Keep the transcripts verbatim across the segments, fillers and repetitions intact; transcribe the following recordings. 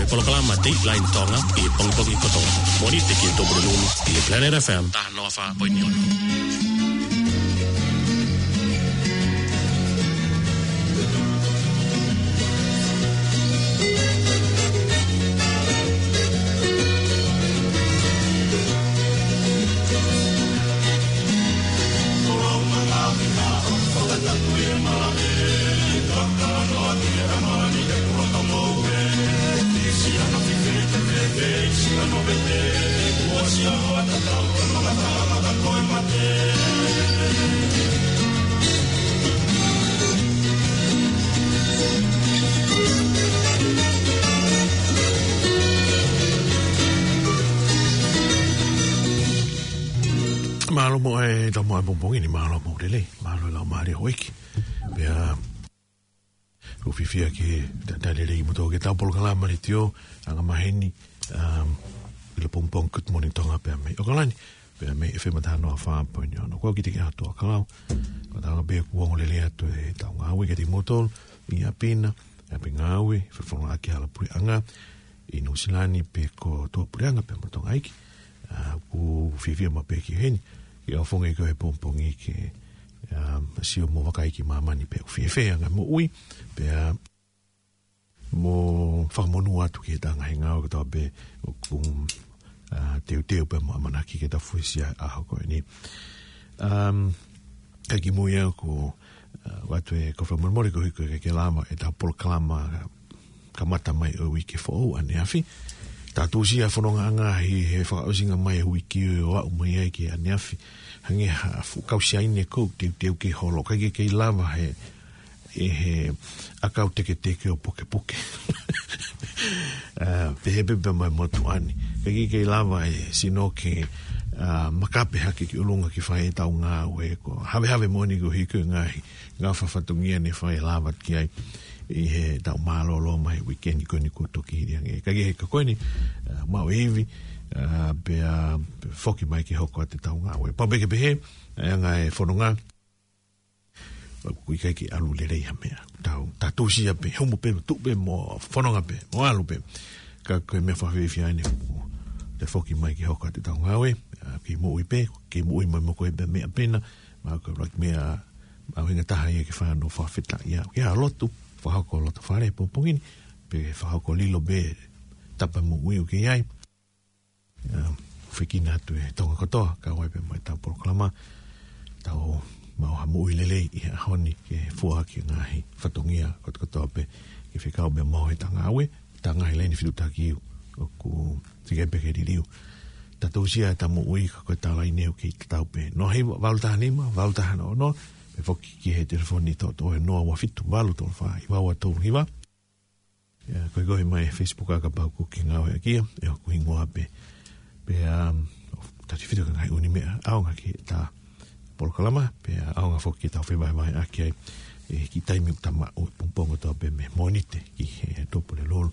Polokalama Dateline Tonga ʻi he pongipongi kotoa. Mōnite ki he Tupulelulu ʻi he Planet F M taha noa fā poini ono. Mālō mo e tau mo e pongipongi ni, mālō mo lelei, mālō e laumālie ʻo e ʻEiki. Pea ʻoku fiefia ke talitali lelei kimoutolu ki heʻetau polokalama letiō, anga maheni, um, ʻi he pongipongi Good Morning Tonga pea mei ʻAokalani, pea mei F M taha noa fā poini ono. Ko au Kitiki Atu ʻa Kalau, ko tanga pē kuo ongo lelei atu ʻetau ngāue kiate kimoutolu, ʻi ʻapi na, ʻapi ngāue, fefononga ki hala puleʻanga, ʻi Nuʻusila ni pe ko tuʻapuleʻanga pea mo Tonga ʻEiki. ʻA, ʻoku fiefia maʻu pē ki heni, ke ʻaofongi ko e pongipongi ke, um, sio mo vakai ki māmani pe ʻoku fēfē anga moʻui, pea mo fakamonū atu ki he ngaahi ngāue kotoa pē ʻoku, uh, teuteu pea mo ʻamanaki ke tau fuesia ʻaho ko eni. Um, ka kimui au ko, uh, ʻoatu e kau fakamolemole koeʻuhi ko e ʻikai ke lava ʻetau polokalama kamata mai ʻo e uike foʻou ʻaneafi. Tau tuʻusi ʻa e fonongaʻanga ʻi he fakaʻosinga mai ʻo e uike ʻo aʻu mai ai ki ʻaneafi. Hangē ha fuʻu kau siaine ʻoku teuteu ke holo, ʻikai ke kei lava he, ʻe he ʻakau teketeke ʻo pukepuke. ʻA, pehē pē pea mo e motuʻa ni. ʻIkai ke kei lava e sino ke, ʻa, makape hake ki ʻolunga ke fai ʻetau ngāue ko e havehave moʻoni koeʻuhi ko e ngaahi ngafa fatongia ne fai lava ki ai ʻi heʻetau mālōlō mai uike ni ko eni kuo toki hili ange. Ka ʻi he ka ko eni, ʻa, maʻu e ivi, ʻa, pea foki mai ke hoko atu ʻetau ngāue. Pau pē ke pehē, ʻa e anga e fononga, ʻoku ʻikai ke ʻalu lelei ha meʻa. Tau, tau tuʻusi ia pē, humu pē, tuʻu pē mo fononga pē, mo ʻalu pē. Ka ko e meʻa fakafiefia eni, te foki mai ke hoko atu ʻetau ngāue, ʻa, kei moʻui pē, kei moʻui mai mo koe pē meʻa pena, ma ko e laki meʻa, ʻa, ʻuhinga taha ia ke fai hono fakafetaʻi ia. Ke ʻalu atu, fakahoko loto fale pongipongi ni, pe fakahoko lilo pē, tapa moʻui ʻoku ke ʻi ai. ʻA, fekina atu e Tonga kotoa, kau ai pē mo ʻetau polokalama, tau maʻu ha moʻui lelei ʻi he ʻaho ni ke fua ki he ngaahi fatongia kotokotoa pē, ke fekau pē mo e tangaawe, tangahi laini fitutaki ʻoku tike pē ke liliu. Tau tuʻusi ʻa ʻetau moʻui ka ko e tau laine ʻoku kei tatau pē. Noa hiva, valu taha nima, valu taha noa noa, pe foki ki he telefoni toʻotoʻo ʻe noa ua fitu valu tolu fā hiva ua tolu hiva. ʻIa, ko e koe mai Facebook ʻa kapau ʻoku ke ngāueʻaki ia, ʻe hoku hingoa pē. Pea, um, tau tefito ki he ngaahi ʻū meʻa, ʻaonga ki heʻetau polokalama, pea ʻaonga foki ki heʻetau fevahevaheʻaki ai, ʻe, ki he taimi ʻoku ta maʻu, pongipongi kotoa pē mei Mōnite, ki he Tupulelulu.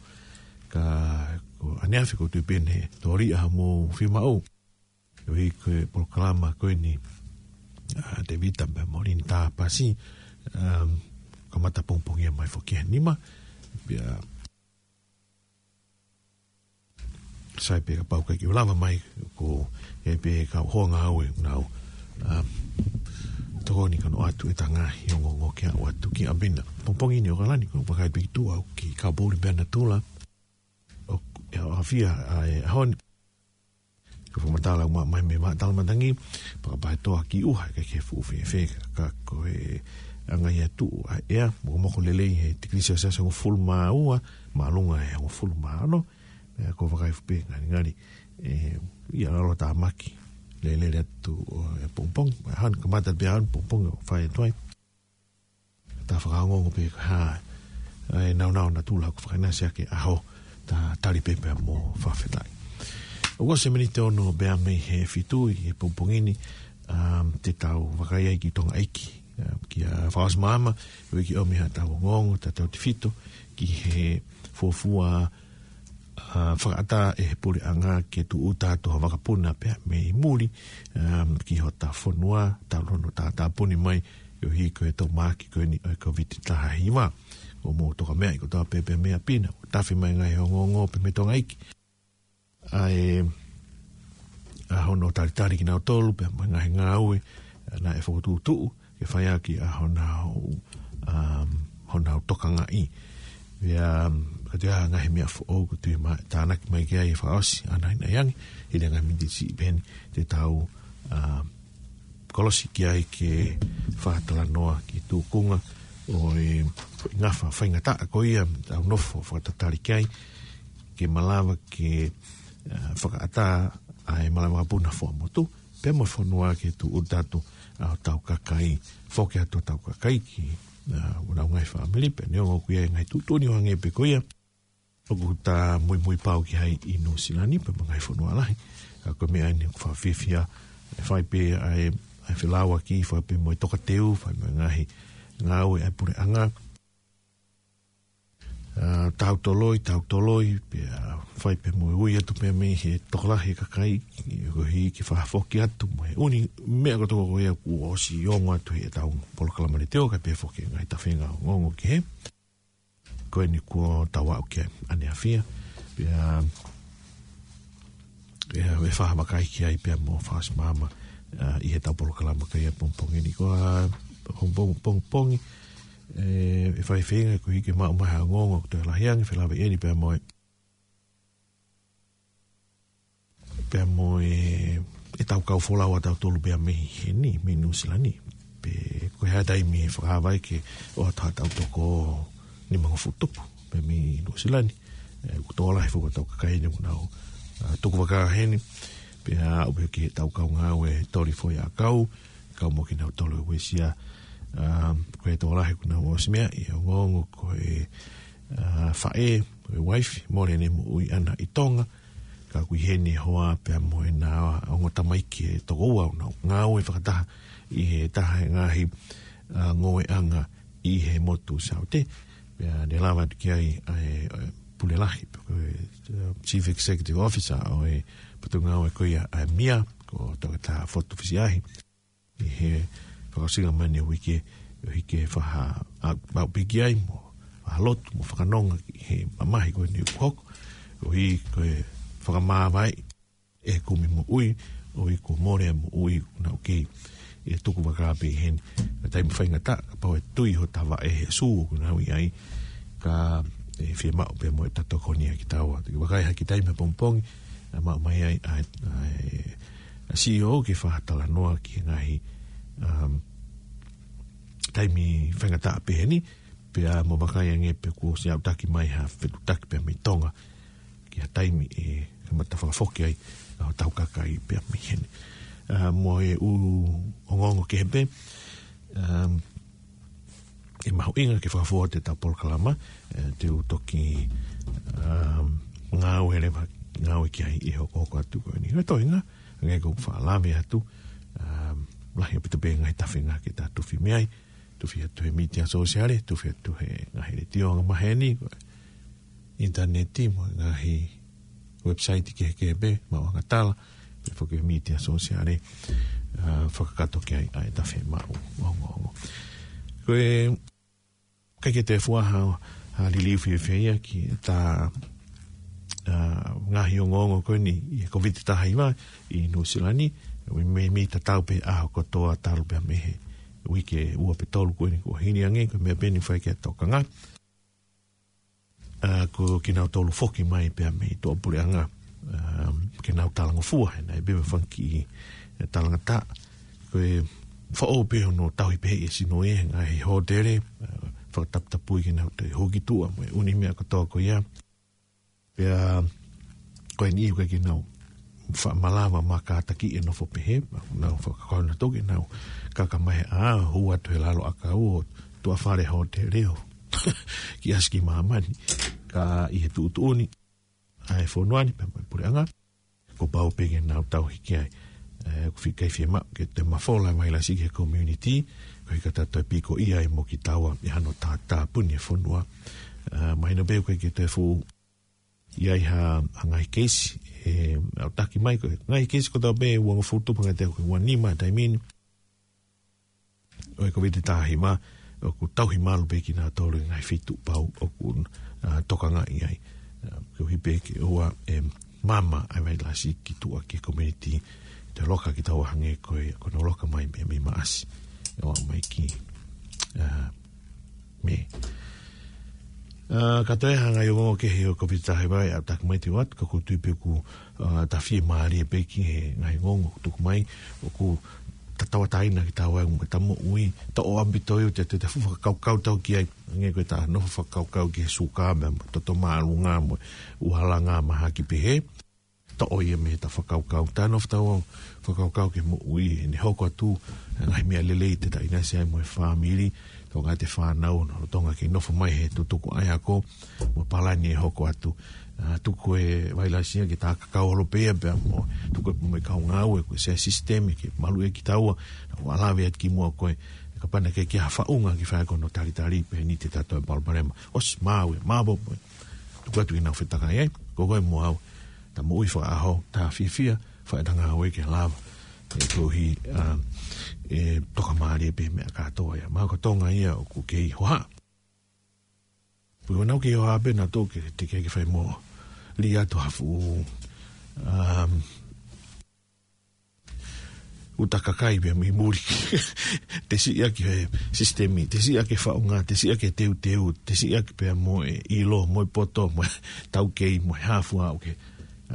Ka ko ʻaneafi ʻoku ou tui pē ne tōliʻa mo fiemaʻu. ʻOku ʻi ai ko e polokalama ko eni, ʻa, Tevita pea mo Linda Pasi, um, kamata pongipongi mai foki he nima, pea sai pē kapau ʻikai ke u lava mai, ko e pē kau hoa ngāue ʻoku nau, um, tokoni ke ʻoatu ʻeta ngaahi ongoongo ke aʻu atu ki ʻapi na. Pongipongi ni ʻAokalani, ko e vakai pē ki tuʻa ʻoku kei kau poʻuli pē ʻa natula, ʻoku, ʻe ʻafia ʻa e ʻaho ni. Ko e fakamatala ʻoku maʻu mai mei Vaʻa Talamatangi, Fakapahetoa ki ʻUha, ʻikai ke fuʻu fēfē ka ko e anga ia tuʻu ʻa e ʻea, mokomoko lelei he tikilisi ʻa e Siasi hongofulu mā ua, māʻolunga he hongofulu mā ono, ʻe, ko e vakai fuʻu pē ngalingali, ʻe, ʻi he lalo tāmaki, lelele atu ʻo e pongipongi, ʻa e ʻaho ni kamata pē ʻaho ni pongipongi ʻo fai atu ai. Ta fakaongoongo pē ka hā, ʻa e naunau natula ʻoku fakaʻinasi ʻaki e ʻaho, ta tali pē pea mo fakafetaʻi. ʻOku ʻosi e miniti ono pea mei he fitu ʻi he pongipongi ni, um, te tau vakai ai ki Tonga ʻEiki, um, kia Fakaʻosi Maama, ʻoku ʻikai ke ʻomi haʻatau ongoongo, ta tau tefito ki he fuofua ʻa, fakaʻatā ʻe he puleʻanga ke tūʻuta atu ha vakapuna pea mei muli, um, ki hota fonua, talu hono tātāpuni mai, ʻoku ʻi ai ko e tau māki ko eni ʻo e Kōviti taha hiva. ʻo mou toka meʻa i kotoa pē pea mei ʻapi na, ʻo tafe mai ngaahi ongoongo pē mei Tonga iiki. ʻA e, ʻa hono talitali kinautolu pea mo e ngaahi ngāue, ʻa, naʻe fokotuʻutuʻu ke fai ʻaki ʻa honau, um, honau tokangaʻi. Pea, um, ka te ʻa ngaahi meʻa foʻou ko tui ma tānaki mai ki ai e fakaʻosi, ʻa nai nai ange, hili ngaahi miniti siʻi pē heni te tau, um, kolosi ki ai ke fakatalanoa ki tukunga ʻo e ngafa faingataʻa ko ia, tau nofo fakatatali ki ai, ke malava ke, uh, fakaʻatā ʻa e malava puna foa motu, pea mo e fonua ke tuʻu tatu ʻa hotau kakai, foki atu hotau kakai ki, uh, ʻenau ngaahi fāmili, pea neongo ko ia e ngaahi tuʻutuʻuni ʻo hangē pē ko ia ʻoku ta muimui pau ki ai ʻi Nuʻusila ni, pea mo e ngaahi fonua lahi. Ka ko e meʻa eni ʻoku fakafiefia, ʻe fai pē ʻa e, ʻa e felāuaki, fai pē mo e tokateu, fai mo e ngaahi ngāue ʻa e puleʻanga. ʻA, tau toloi, tau toloi, pea fai pē mo e ui atu pē mei he tokolahi e kakai, ʻi he koeʻuhi ke fakafoki atu mo e ʻū meʻa kotoa ko ia kuo ʻosi ongo atu heʻetau polokalama letiō, kae pehē foki e ngaahi tafenga ongoongo kehe. Ko eni kuo tau aʻu ki ai ʻaneafi. Pea, ʻe, ʻe fakavakai ki ai pea mo Fast Mama, ʻa, ʻi heʻetau polokalama ko ia pongipongi ni. Ko e, pong-, pong-, pongipongi, ʻe, ʻe fai feinga koeʻuhi ke maʻu mai ha ongoongo ʻoku toe lahi ange, felāveʻi eni pea mo e pea mo e, ʻetau kau folau ʻatautolu pea mei heni, mei Nuʻusila ni. Pe ko e hā e taimi ʻe fakaava ai ke ʻoatu haʻatau toko nimangofulu tupu pea mei Nuʻusila ni. ʻE, ʻoku tokolahi foki ʻetau kakai eni ʻoku nau, ʻa, tuku vaka heni. Pea aʻu pē ki heʻetau kau ngāue toli foʻi ʻakau, kau mo kinautolu e uesia. ʻA, ko e tokolahi ʻoku nau ʻosi meaʻi e ongoongo ko e, ʻa, faʻē, ko e uaifi, mole ʻene moʻui ʻana ʻi Tonga. Ka ʻoku ʻi heni e hoa pea mo ʻena ongo tamaiki ʻe toko ua ʻoku nau ngāue fakataha ʻi he taha e ngaahi, ʻa, ngāueʻanga ʻi he motu Saute. Pea ne lava atu ki ai ʻa e, ʻa e pule lahi, pe ko e, ʻa, Chief Executive Officer ʻo e potungāue ko ia ʻa e MIA, ko Toketā Fotu Fisiahi. ʻI he fakaʻosinga mai ʻeni e uike, ʻoku ʻikai ke faʻa, ʻa, ʻa piki ai mo, ʻa lotu mo fakanonga ki he mamahi ko eni ʻoku hoko, ʻoku ʻikai ke fakamāvae e kumi moʻui, ʻoku ʻikai ko mole e moʻui ʻoku nau kei ʻi he tuku vaka pē heni. Ka taimi faingataʻa, kapau ʻe tui hota vaʻe he sū ʻoku nau ʻi ai, ka ʻe fiemaʻu pē mo ʻeta tokoni ʻa kitaua. Te u vakai hake taimi pongipongi, ʻa maʻu mai ai, ʻa, ʻa, ʻa CEO ke fakatalanoa ki he ngaahi, um, taimi faingataʻa pehē ni, pea mo vakai ange pe kuo ʻosi aʻutaki mai ha fetuʻutaki pea mei Tonga, ki ha taimi ʻe kamata fakafoki ai ʻa hotau kakai pea mei heni. ʻA, mo e ʻū ongoongo kehe pē, um, ʻe mahuʻinga ke fakafua atu ʻetau polokalama, ʻe, te u toki, um, ngāue leva, ngāue ki ai ʻi he hokohoko atu ko eni. Ko e toenga, hangē ko ʻeku faʻa lave atu, um, lahi ʻaupito pē ngaahi tafenga ke ta tufi mei ai, tufi atu he mītia sōsiale, tufi atu he ngaahi letiō angamaheni, ko e ʻinitaneti mo e ngaahi website kehekehe pē, maʻuʻanga tala, pea foki he mītia sōsiale, ʻa, fakakakato ki ai ʻa ʻeta fiemaʻu ongoongo. Ko e, ʻikai ke toe fua ha, ha liliu fiefia ia ki heʻeta, ʻa, ngaahi ongoongo ko eni ʻi he Kōviti taha hiva ʻi Nuʻusila ni, ʻoku meimei tatau pē ʻaho kotoa talu pē mei he uike ua pe tolu ko eni kuo hili ange, ko e meʻa pē ʻeni ʻoku fai ki ai e tokanga. ʻA, ko kinautolu foki mai pea mei tuʻapuleʻanga, ʻa, ke nau talangofua, he naʻe pē mo e fanga kiʻi, ʻe, talangataʻa. Ko e foʻou pē hono tauhi pē ʻe he sino ʻi he ngaahi hōtele, ʻa, fakataputapui ke nau toe hū ki tuʻa mo e ʻū meʻa kotoa ko ia. Pea, ko eni ʻoku ʻikai ke nau faʻa malava mo kātaki e nofo pehē, nau fakakaukau nautolu ke nau kaka mai ʻo hū atu he lalo ʻakau ʻo tuʻa fale hōtele ʻo kiʻi ʻasi ki māmani. Ka ʻi he tuʻutuʻuni ʻa e fonua ni pea mo e puleʻanga, kuo pau pē ke nau tauhi ki ai. ʻE, ʻoku ʻikai fiemaʻu ke toe mafola e vailasi ki he community, koeʻuhi ka ta toe pikoʻia ai mo kitaua ʻi hano tā-, tāpuni e fonua. ʻE, mahino pē ʻoku ʻikai ke toe fuʻu ʻi ai ha, ha ngaahi keisi, ʻe, ʻautaki mai ko e ngaahi keisi kotoa pē ʻe uangofulu tupu, hangē ko e uanima he taimi ni ʻo e Kōviti taha hiva, ʻoku tauhi malu pē kinautolu ʻi he ngaahi feituʻu pau ʻoku, ā, tokangaʻi ai. Ā, koeʻuhi pē ke ʻoua ʻe maama ʻa e vailasi ki tuʻa ki he community, te loka kitaua hangē ko e, ko hono loka mai mei, mei Maʻasi. ʻO aʻu mai ki, ā, Mē. Ā, ka toe hanga ʻi o mo ke he o Covid taha hiva ʻa taku mai te wat, ka ʻoku ou tui pē ʻoku, ā, ta fiemālie pē ki he ngaahi ongoongo ʻoku tuku mai, ʻoku ta tauʻatāina kitaua mo ʻeta moʻui, ta ʻoange pē ʻa e, te, te fuʻu fakakaukau tau ki ai, hangē ko ʻeta nofo fakakaukau ki he suka, mo e toto māʻolunga, mo e ualanga mahaki pehē. Toʻo ia mei heʻeta fakakaukau. Ta nofo tau fakakaukau ki he moʻui, ʻene hoko atu, ngaahi meʻa lelei te ta ʻinasi ai mo e fāmili, tau ngaahi fānau, ʻo Tonga ke nofo mai he tutuku ʻa e ako, mo e palani ʻe hoko atu. Ā, tuku e vailasi ia ke ta kakau holo pē ia pea mo, tuku e mo e kau ngāue, ko e sea sisitemi ke maluʻi kitaua, ʻo lave atu ki muʻa ko e, kapau naʻe ʻikai ke ʻi ai ha faʻunga ki fai ko hono talitali, pehē ni te ta toe palopalema. ʻOsi maʻu e, maʻu pē. Tuku atu ke nau fetakai ai, ko koe mo au. Ta moʻui fakaʻaho, ta fiefia, fai ʻeta ngāue ke lava. ʻE koeʻuhi, ā, ʻe tokamālie pē meʻa kātoa ia. Mahalo ko Tonga ia ʻoku kei hohaʻa. Pea ʻoku nau kei hohaʻa pē nautolu ke, te ke ke fai mo. Lī atu ha fuʻu, ā, uta kakai pea mei muli. Te siʻaki he sisitemi, te siʻaki he faʻunga, te siʻaki he teuteu, te siʻaki pea mo e ʻilo, mo e poto, mo e taukei, mo e hā fua ʻoku ke,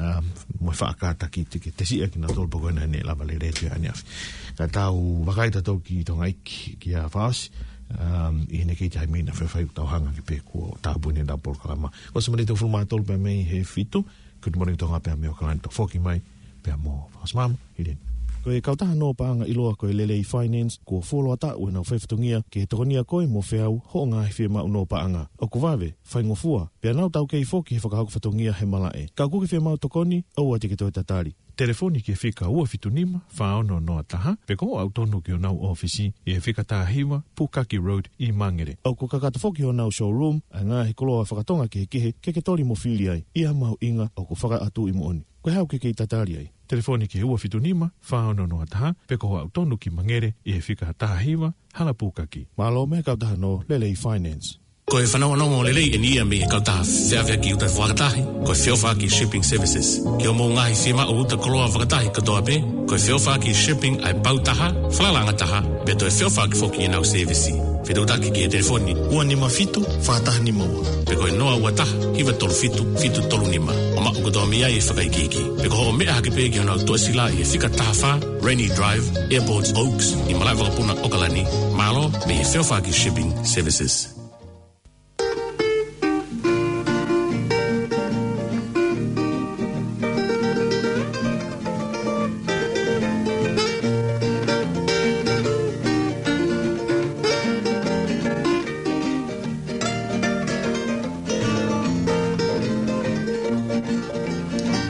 ā, mo e faʻa kātaki te ke, te siʻaki nautolu pea ko ena ʻe lava lelei atu ʻaneafi. Ka tau vakai tautolu ki Tonga ʻEiki, ki ʻa Fasi, ā, ʻi heʻene kei taimi naʻe faifai ʻoku tau hanga ki pē kuo tāpuni ʻetau polokalama. Ko e ʻosi manito fulumātolu pea mei he fitu, Good Morning Tonga pea mei ʻAokalani, toe foki mai pea mo Fakasimama, Hileni. Ko e kautaha nō paʻanga ʻiloa ko e Lelei Finance, kuo fuoloa taʻu ʻenau faifatongia ke tokonia koe mo feau hoʻo ngaahi fiemaʻu nō paʻanga. ʻOku vave, faingofua, pea nau taukei foki he fakahoko fatongia he malaʻe. Ka ʻoku ke fiemaʻu tokoni, ʻoua te ke toe tatali. Telefoni ki he fika ua fitu nima, fā ono noa taha, pe ko hoʻo aʻu tonu ki honau ʻōfisi ʻi he fika taha hiva, Pukaki Road ʻi Mangere. ʻOku kakato foki honau showroom ʻa e ngaahi koloa fakatonga kehekehe ke ke toli mo fili ai, ʻi ha mahuʻinga ʻoku fakaʻatuʻi moʻoni. Ko e hā ʻoku ke kei tatali ai? Telefoni ki he ua fitu nima, fā ono noa taha, pe ko hoʻo aʻu tonu ki Mangere ʻi he fika taha hiva, Hala Pukaki. Mālō mei he kautaha nō Lelei Finance. Ko e fanongonongo lelei eni ia mei he kautaha feʻaveʻaki uta fakatahi, ko e Feʻofaʻaki Shipping Services. Ki hoʻomou ngaahi fiemaʻu uta koloa fakatahi kotoa pē, ko e Feʻofaʻaki Shipping ʻa e pau taha, falalaʻanga taha, pea toe feʻofaʻaki foki ʻenau sēvisi. Fetuʻutaki ki he telefoni ua nima fitu, fā taha nima ua, pe ko e noa ua taha, hiva tolu fitu, fitu tolu nima. ʻO maʻu kotoa mei ai e fakaikiiki. Pe ko hoʻo meʻa hake pē ki honau tuʻasila ʻi he fika taha fā, Rainy Drive, Airport Oaks, ʻi malaʻe vakapuna ʻAokalani. Mālō mei he Feʻofaʻaki Shipping Services.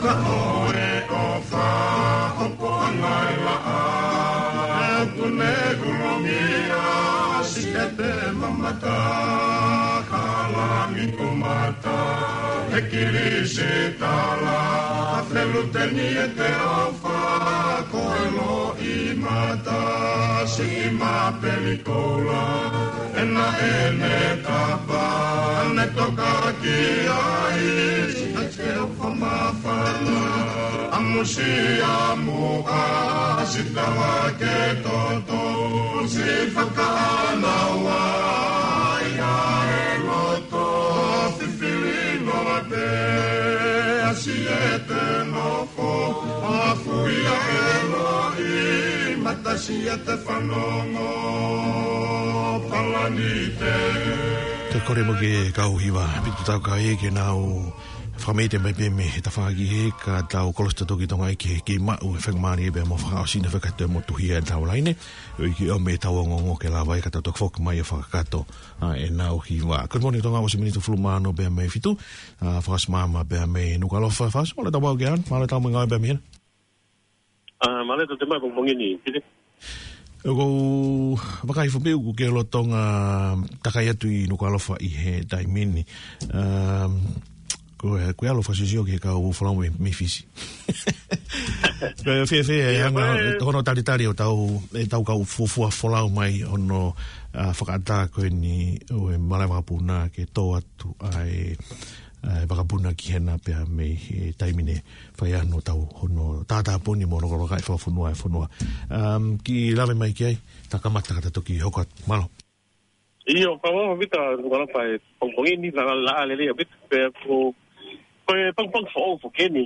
Ka ʻoe ʻofa, hopo ʻa e ngaahi laʻā, ʻoku ne kulumia, siʻete mamata, ka langi kumata, he kilisitala, feluteni ʻete ʻofa, ko e loʻimata, siʻi mapeli koula, ʻena ʻene tapa, ne toka ki ai, siʻete ʻofa māfana, ʻa musia muʻa, siʻi tala ke toto, siʻi fakaʻānaua, ʻi he loto, fifili noa pē, ʻa siʻete nofo, ʻa fuia e loʻimata siʻete fanongo, palani te. Te kole mo ke kau hiva, pitu tau kai ke nau fakameʻite mai pē mei he tafaʻaki he ka tau kolosi tautolu ki Tonga ʻEiki ke maʻu e faingamālie pea mo fakaʻosi na fekate mo tuhia e tau laine. ʻOku ʻikai ke ʻomi e tau ongoongo ke lava ai ka tau toki foki mai ʻo fakakakato ʻa ʻenau hiva. Good Morning Tonga, ʻosi miniti ʻe fulu mā ono pea mei he fitu, ā, Fakasimama pea mei Nukuʻalofa, Fakasimama, mālō e tau mau ke anu, mālō e tau mau ngāue pea mei hena. Ā, mālō e tau te mai pongipongi ni, Pite. ʻOku ou vakai foki pē ʻoku ke lolotonga takai atu ʻi Nukuʻalofa ʻi he taimi ni. Ā, ko e, ko e ʻalu fakasiosio ki he kau folau mei, mei Fisi. Ko e fēfē e anga hono talitali ʻo tau, ʻetau kau fuofua folau mai hono fakaʻatā ko eni ʻo e malaʻe vakapuna ke tō atu ʻa e vakapuna ki hena pea mei he taimi ni fai ai hono tau hono tātāpuni mo hono kolokaʻi fakafonua e fonua. Kiʻi lave mai ki ai, ta kamata ka ta toki hoko atu. Mālō. ʻIo, ka ʻoku ʻaupito, ʻoku ʻaupito e pongipongi ni, la la la lele ʻaupito, pea ko, ko e pongipongi foʻou foki eni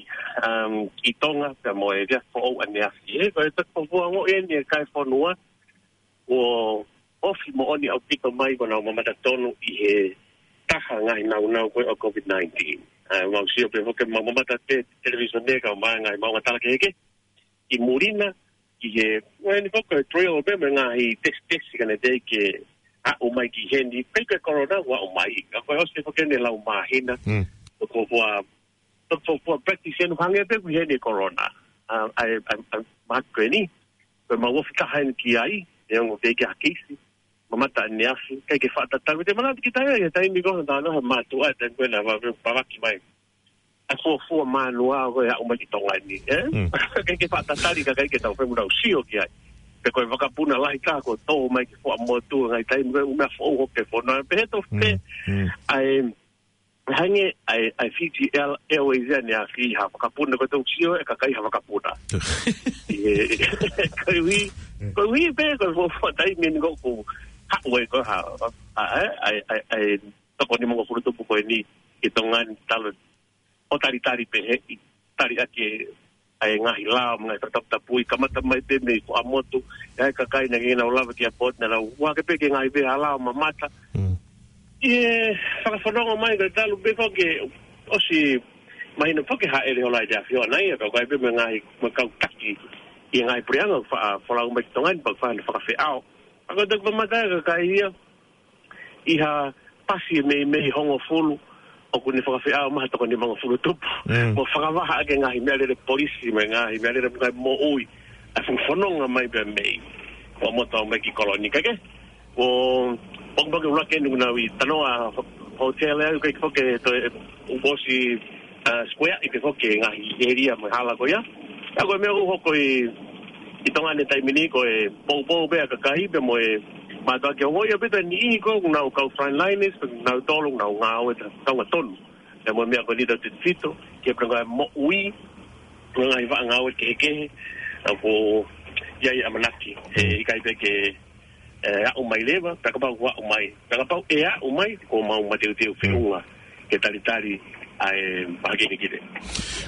ki Tonga, pea mo e efiafi foʻou ʻaneafi. Ko e pongipongi foʻou eni e kai fonua, ʻoku ofi moʻoni ʻaupito mai ko ʻenau mamata tonu ʻi he taha ngaahi naunau ko e ʻo COVID nineteen. ʻOku mau sio pē foki mau mamata te televīsone ka ʻomai ngaahi maʻunga tala kehekehe ʻi muli na, ʻi he, ʻoku eni foki e trial pē mo e ngaahi tesitesi ka ne teʻeki ke aʻu mai ki heni, pe ko e corona ʻoku aʻu mai. Ka ko e ʻosi foki eni e lau māhina, ʻoku fuofua, ʻoku fuofua practice eni hangē pē ko heni e corona. ʻA e, ʻa e, ʻa e, mahaki ko eni, ko e mau ofi taha eni ki ai, ʻe ongo teʻeki ha keisi, mamata ʻaneafi, ʻikai ke faʻa tatau. Te manatu ki tai ai, taimi ko ē, tā nau he mātuʻa, taimi ko ē naʻa vave pavaki mai ʻa e fuofua mānua ko e aʻu mai ki Tonga ni, ē? ʻIkai ke faʻa tatali ka ʻikai ke tau femu nau sio ki ai. Pe ko e vakapuna lahi ka ko e tō mai ki Fuaʻamotu, ngaahi taimi ko e ʻū meʻa foʻou hoko e fonua. Pehē tofu pē, ʻa e, hangē, ʻa e, ʻa e Fiji Air-, Airways ʻaneafi ha vakapuna ko e tau sio e kakai ha vakapuna. ʻIo, koeʻuhi, koeʻuhi pē, ko e fuofua taimi eni ko ʻoku haʻu ai ko ha, ʻa e, ʻa e, ʻa e, ʻa e, toko nimangofulu tupu ko eni ki Tonga ni talu ʻo talitali pē he ʻi tali ake ʻa e ngaahi lao, ngaahi fakataputapui, kamata mai pē mei Fuaʻamotu, ʻa e kakai naʻe ʻikai ke nau lava ki he airport, naʻa nau ʻohake pē ki he ngaahi veʻe hala ʻo mamata. ʻI he fakafononga mai ka talu pē foki, ʻosi mahino foki hāʻele hola ʻi he ʻAfiona ia, ka ʻoku ʻi ai pē mo e ngaahi, mo e kau taki ʻi he ngaahi puleʻanga, faʻa folau mai ki Tonga ni, pea faʻa fakafeʻao. ʻA ko e toki mamata e kakai ia, ʻi ha pasi mei, mei hongofulu, ʻoku ne fakafeʻao mai ha toko nimangofulu tupu. Mo fakavaha ake ngaahi meʻalele polisi, mo e ngaahi meʻalele mo e ngaahi moʻui, ʻa e fononga mai pē mei Fuaʻamotu mai ki Kolonika ke. ʻO, pongipongi ʻuluaki eni ʻoku nau ʻi Tanoa Hotel ʻa ia, ʻikai ke foki toe ʻosi, ʻa, square ʻikai ke foki ngaahi area mo e hala ko ia. ʻA ko e meʻa ʻoku hoko ʻi, ʻi Tonga ni taimi ni ko e poupou pē ʻa e kakai pea mo e mātuʻa ke ongoʻi ʻaupito e niʻihi ko ē ʻoku nau kau frontliners, ʻoku nau tolu, ʻoku nau ngāue ta-, kaunga tonu. Pea mo e meʻa ko eni tau tefito, ke prenga moʻui, ngaahi vaʻa ngāue kehekehe, ʻa ko ia ʻi ʻamanaki, ʻe ʻikai pē ke ʻe aʻu mai leva, pea kapau ʻoku aʻu mai, pea kapau ʻe aʻu mai, ʻoku mau mateuteu feʻunga ke talitali ʻa e mahaki ni ki te.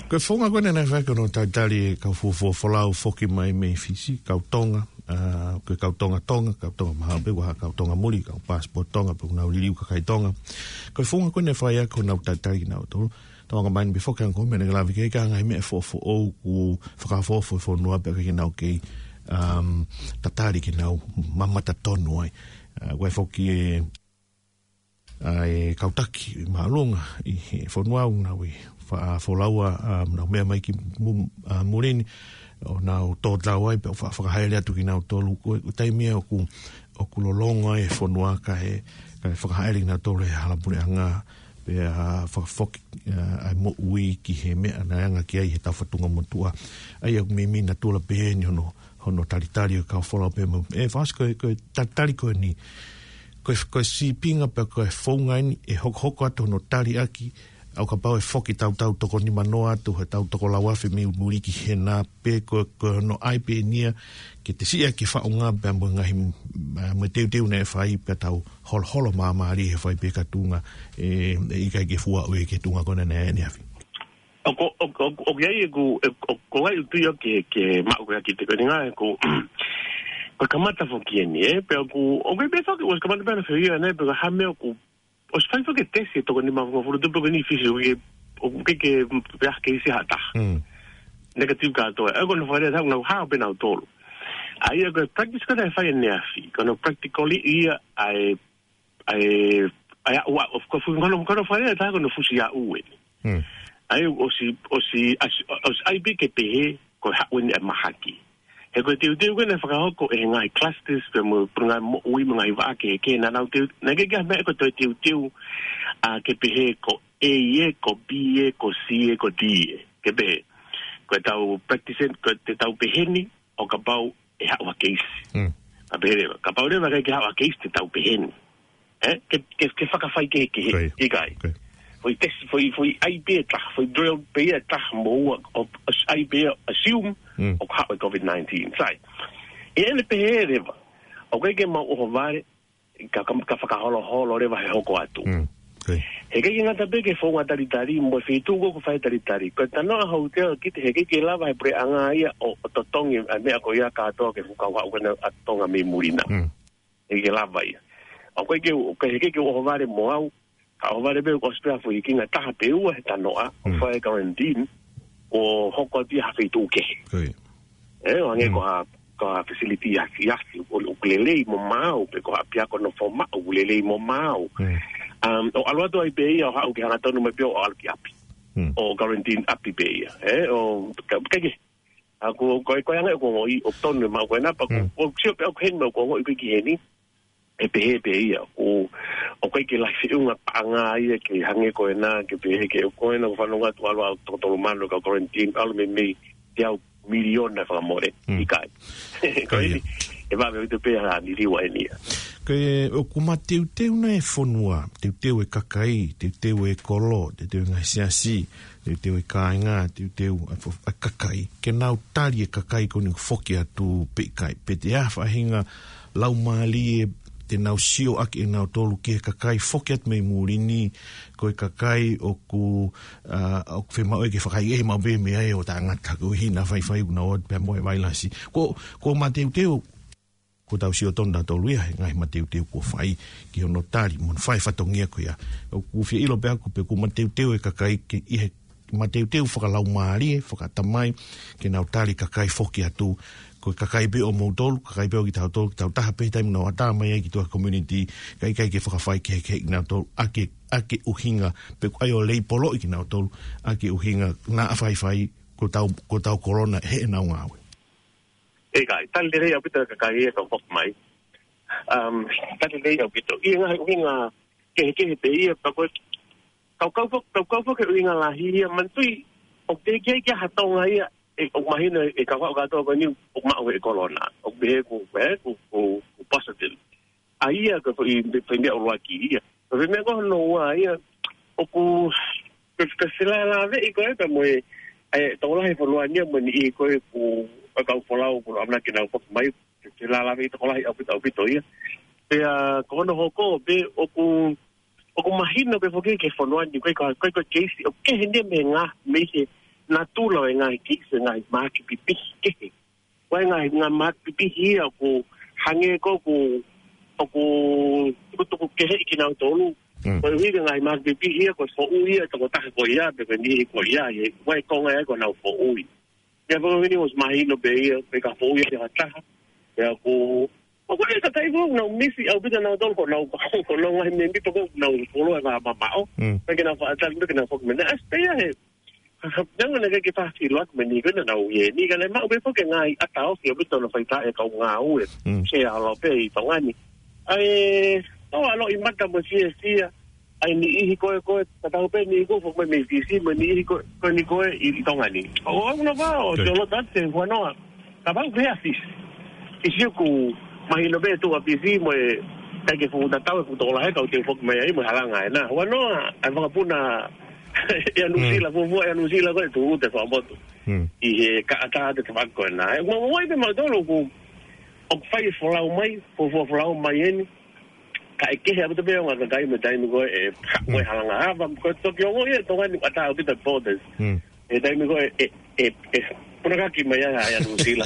Ko e founga ko ē naʻe fai ko hono talitali e kau fuofua folau foki mai mei Fisi, kau Tonga, ʻa, ko e kau Tonga Tonga, kau Tonga mahalo pē, ʻoku ʻi ai ha kau Tonga muli, kau passport Tonga, pe ʻoku nau liliu kakai Tonga. Ko e founga ko ē naʻe fai ai ko honau talitali kinautolu, Tonga mai ni pē foki ʻa e ngaahi meʻa naʻe lave ki ai, ka ngaahi meʻa foʻofoʻou ʻoku fakafoʻou e fonua pea ʻikai ke nau kei, um, tatali ke nau mamata tonu ai. ʻA, ʻoku ʻi ai foki e, ʻa e kau taki māʻolunga ʻi he fonua ʻoku nau ʻi faʻa folau ʻa, um, nau meʻa mai ki mu-, ʻa, muli ni, ʻo nau tō tau ai, pea faʻa fakahaʻele atu kinautolu, ko e, ko e taimi ia ʻoku, ʻoku lolonga e fonua kae, kae fakahaʻele kinautolu he hala puleʻanga, pea fakafoki, ʻa, ʻa e moʻui ki he meʻa naʻe anga ki ai he tau fatunga motuʻa. ʻA ia ʻoku meimei natula pehē ni hono, hono talitali ʻo e kau folau pea mo, ʻe, fakaʻosi ko e, ko e talitali ko eni, ko e, ko e sīpinga pea ko e founga eni ʻe hokohoko atu hono tali ʻaki, ʻo kapau ʻe foki tau tau toko nimanoa atu, he tau toko lau afe mei muli ki hena, pe ko, ko hono ʻai pē eni ia, ke te siʻaki faʻunga pea mo e ngaahi, ʻa, mo e teuteu naʻe fai pea tau holoholo māmālie he fai pē ka tuʻunga, ʻe, ʻe ʻikai ke fua ʻo e ke tuʻunga ko ena naʻe ʻaneafi. ʻOku, ʻoku, ʻoku, ʻoku ʻi ai ʻeku, ʻe, ʻoku, ʻoku ʻi ai ʻeku tui ʻoku ke, ke maʻu ko ia ki te ko eni ngā ʻeku, ko e kamata foki eni, ē, pea ʻoku, ʻoku ʻi ai pē foki, ʻosi kamata pē ʻana fehia, nē, pea ko e hā e meʻa ʻoku, ʻosi fai foki e tesi e toko nimangofulu tupu ko eni Fisi, ʻoku ke, ʻoku ke, ke, pea ke isi ha taha. Negative kātoa. ʻE ko hono fakalea ʻe taha, nau hao pē nautolu. ʻA ia ko e practice ko ē naʻe fai ʻaneafi, ko hono practically ia ʻa e, ʻa e, ʻa e, ʻa, of course, ko hono, ko hono fakalea ʻe taha ko hono fusi aʻu eni. ʻA ia ʻosi, ʻosi, ʻosi, ʻosi ʻai pē ke pehē, ko e haʻu eni e mahaki. He ko e teuteu ko ē naʻe fakahoko ʻe he ngaahi clusters pea mo e ngaahi moʻui mo e ngaahi vaʻa kehekehe naʻa nau teu, naʻe ʻikai ke ʻi ai ha meʻa ko e toe teuteu, ʻa, ke pehē ko A ē, ko B ē, ko C ē, ko D ē. Ke pehē. Ko e tau practice, ko e te tau pehē ni, ʻo kapau ʻe haʻu ha keisi. Mm. A pehē leva, kapau leva ʻikai ke haʻu ha keisi te tau pehē ni. Eh, ke, ke, ke fakafaikehekehe, ʻIkai. ʻikai. ʻIkai. Foʻi test, foʻi, foʻi ʻai pē ʻe taha, foʻi drill pē ʻe taha mo ua, ʻo, ʻo ʻai pē ʻe assume, Mm. ʻoku haʻu e COVID nineteen. Sai. ʻI heʻene pehē leva, ʻoku ʻikai ke mau ʻohovale, ka, ka, ka fakaholoholo leva he hoko atu. Mm. ʻIkai. He ʻikai ke ngata pē ki he founga talitali, mo e feituʻu ko ē ʻoku fai talitali. Ko e tanoʻa houʻeiki kita he ʻikai ke lava he puleʻanga ia ʻo, ʻo totongi ʻa e meʻa ko ia kātoa ki he fuʻu kau haʻu ko ena ʻa Tonga mei muli na. Mm. ʻIkai ke lava ia. ʻOku ʻikai ke, ʻoku ʻikai ke u ʻohovale mo au, ka ʻohovale pē ʻoku ʻosi pē ha foʻi hikinga ʻe taha pe ua he tanoʻa, ʻo Mm. fai e quarantine, ʻo hoko atu ia ha feituʻu kehe. ʻIkai. Eh, ʻo hangē Mm. ko ha, ko ha facility ʻi ʻAsi, ʻi ʻAsi, ʻoku, ʻoku lelei mo maau, pe ko ha ʻapiako nofo maʻu, ʻoku lelei mo maau. Mm. Um, ʻo ʻalu atu ai pē ia, ʻo haʻu ke hangatonu mai pē ʻo ʻalu ki ʻapi. Mm. ʻO quarantine ʻapi pē ia. Eh, ʻo, ka, ka ke, ʻA ko, ko e, ko e anga ʻoku ou ongoʻi, ʻoku tonu e maʻu ko ena pea ʻoku, Mm. ʻoku sio pē ʻoku heni maʻu ʻoku ou ongoʻi ko ē ki heni. ʻE pehē pē ia, ʻoku, ʻoku ʻikai ke lahi feʻunga paʻanga ia ke hangē ko ena, ke pehē ke ʻoku ko ena ʻoku fanongo atu ʻalu ʻa e toko tolu mano ka quarantine, ʻalu mei mei teau miliona fakamole. Mm. ʻIkai. Ko ʻIkai ia. eni, ʻe vave ʻaupito pē ha liliu ʻa eni ia. Ko e, ʻoku mateuteu nai e fonua, teuteu e kakai, teuteu e kolo, teuteu e ngaahi siasi, teuteu e kāinga, teuteu ʻa e fo-, ʻa e kakai. Ke nau tali e kakai ko eni ʻoku foki atu pe ʻikai. Pe te ʻi ai ha faʻahinga laumālie te nau sio ʻaki ʻe nautolu ki he kakai foki atu mei muli ni, ko e kakai ʻoku, ʻa, ʻoku fiemaʻu ke fakaʻehiʻehi maʻu pē mei ai ʻo taʻengata koeʻuhi naʻa faifai ʻoku nau ō atu pē mo e vailasi. Ko, ko mateuteu ko tau sio tonu nautolu ia he ngaahi mateuteu kuo fai ki hono tali mo hono fai fatongia ko ia. ʻOku fie ʻilo pē ʻaku pe ʻoku mateuteu e kakai ke ʻi he mateuteu fakalaumālie, fakaʻatamai, ke nau tali kakai foki atu. Ko e kakai pē ʻo moutolu, kakai pē ʻo kitautolu, kitautaha pē he taimi nau ʻatā mai ai ki tuʻa community, ka ʻikai ke fakafaikehekeheʻi nautolu ʻaki, ʻaki ʻuhinga, pe ko e ʻai ʻo leipoloʻi kinautolu, ʻaki ʻuhinga naʻa faifai, ko tau, ko tau kolona heʻenau ngāue. ʻIkai, tali lelei ʻaupito e kakai ia ka foki mai. Um, tali lelei ʻaupito. ʻI he ngaahi ʻuhinga kehekehe pē ia, pea ko e, kau kau fo-, kau kau foki he ʻuhinga lahi ia, manatuʻi, ʻoku teʻeki ai ke ʻi ai ha Tonga ia, ʻe, ʻoku mahino e kau haʻu kātoa ko eni, ʻoku maʻu e kolona. ʻOku pehē ʻoku, ē, ʻoku, ʻoku, ʻoku positive. ʻA ia ko e foʻi, foʻi meʻa ʻuluaki ia. Ko e foʻi meʻa ko hono ua ia, ʻoku, ko e, ko e felālāveʻi ko ē pea mo e, ʻa e tokolahi e fonua ni ia mo e niʻihi ko ē ʻoku, ʻa e kau folau ʻoku ʻamanaki ke nau foki mai, ko e felālāveʻi tokolahi ʻaupito, ʻaupito ia. Pea, ko hono hoko pē ʻoku, ʻoku mahino pē foki ki he fonua ni, ko e, ko e, ko e keisi, ʻoku kehe eni mei he ngaahi, mei he natula ʻo e ngaahi keisi, ngaahi mahaki pipihi kehe. Ko e ngaahi, ngaahi mahaki pipihi ia ʻoku hangē ko ē ʻoku, ʻoku tukutuku keheʻi kinautolu. Mm. Koeʻuhi ko e ngaahi mahaki pipihi ia, ko e foʻui ia, tokotaha ko ia, pe ko e niʻihi ko ia, ʻi he, ko e konga ia ko ʻenau foʻui. Ia, pea ko eni ʻosi mahino pē ia, pe ka foʻui ia ʻe ha taha. Ia ko, ʻoku ʻi ai e kakai ko ē ʻoku nau misi ʻaupito nautolu, ko ʻenau, ko ʻenau ngaahi mēmipa ko ē ʻoku nau fuoloa e vā mamaʻo. Mm. Pea ke nau faʻa tali, pea ke nau foki mai. Naʻe ʻasi pē ia he, Neongo naʻe ʻikai ke fai ha feʻiloaki mo e niʻihi ko ena naʻa nau ʻi heni, ka naʻe maʻu pē foki e ngaahi ʻata ofi ʻaupito naʻe fai ʻe he kau ngāue. Mm. Ke ʻalu pē ʻi Tonga ni. ʻA e, ʻo ʻalu ʻi mata mo siasia. ʻA e niʻihi ko ē, ko ē, tatau pē niʻihi ko ē foki mai mei Fisi, mo e niʻihi ko ē, ko eni ko ē ʻi, ʻi Tonga ni. ʻO, ʻo, ʻo, ʻo, ʻo, Good. Sio loto atu he huanoa. Kapau pē ʻa Fisi. Fisi ʻoku mahino pē tuʻu ʻa Fisi mo e, ʻikai ke fuʻu tatau e fuʻu tokolahi e kau teu foki mai ai mo e halanga ena. Huanoa, ʻa e vakapuna ʻi ʻa Nuʻusila, Mm. fuofua ʻi ʻa Nuʻusila ko ē tuʻu te fakamotu. Mm. ʻI he kaʻata te tavako ena. ʻE, mo, mo, pē mautolu ʻoku, ʻoku fai e folau mai, fuofua folau mai eni. Ka ʻe kehe ʻaupito pē ʻa e ongo kakai mo e taimi ko ē, ʻe, ha-, Mm. mo e halanga hava, ko e toki ongo ia, Tonga ni ʻatā ʻaupito borders. Mm. ʻE taimi ko ē, ʻe, ʻe, ʻe, punakaki mai ai ʻa, ʻa Nuʻusila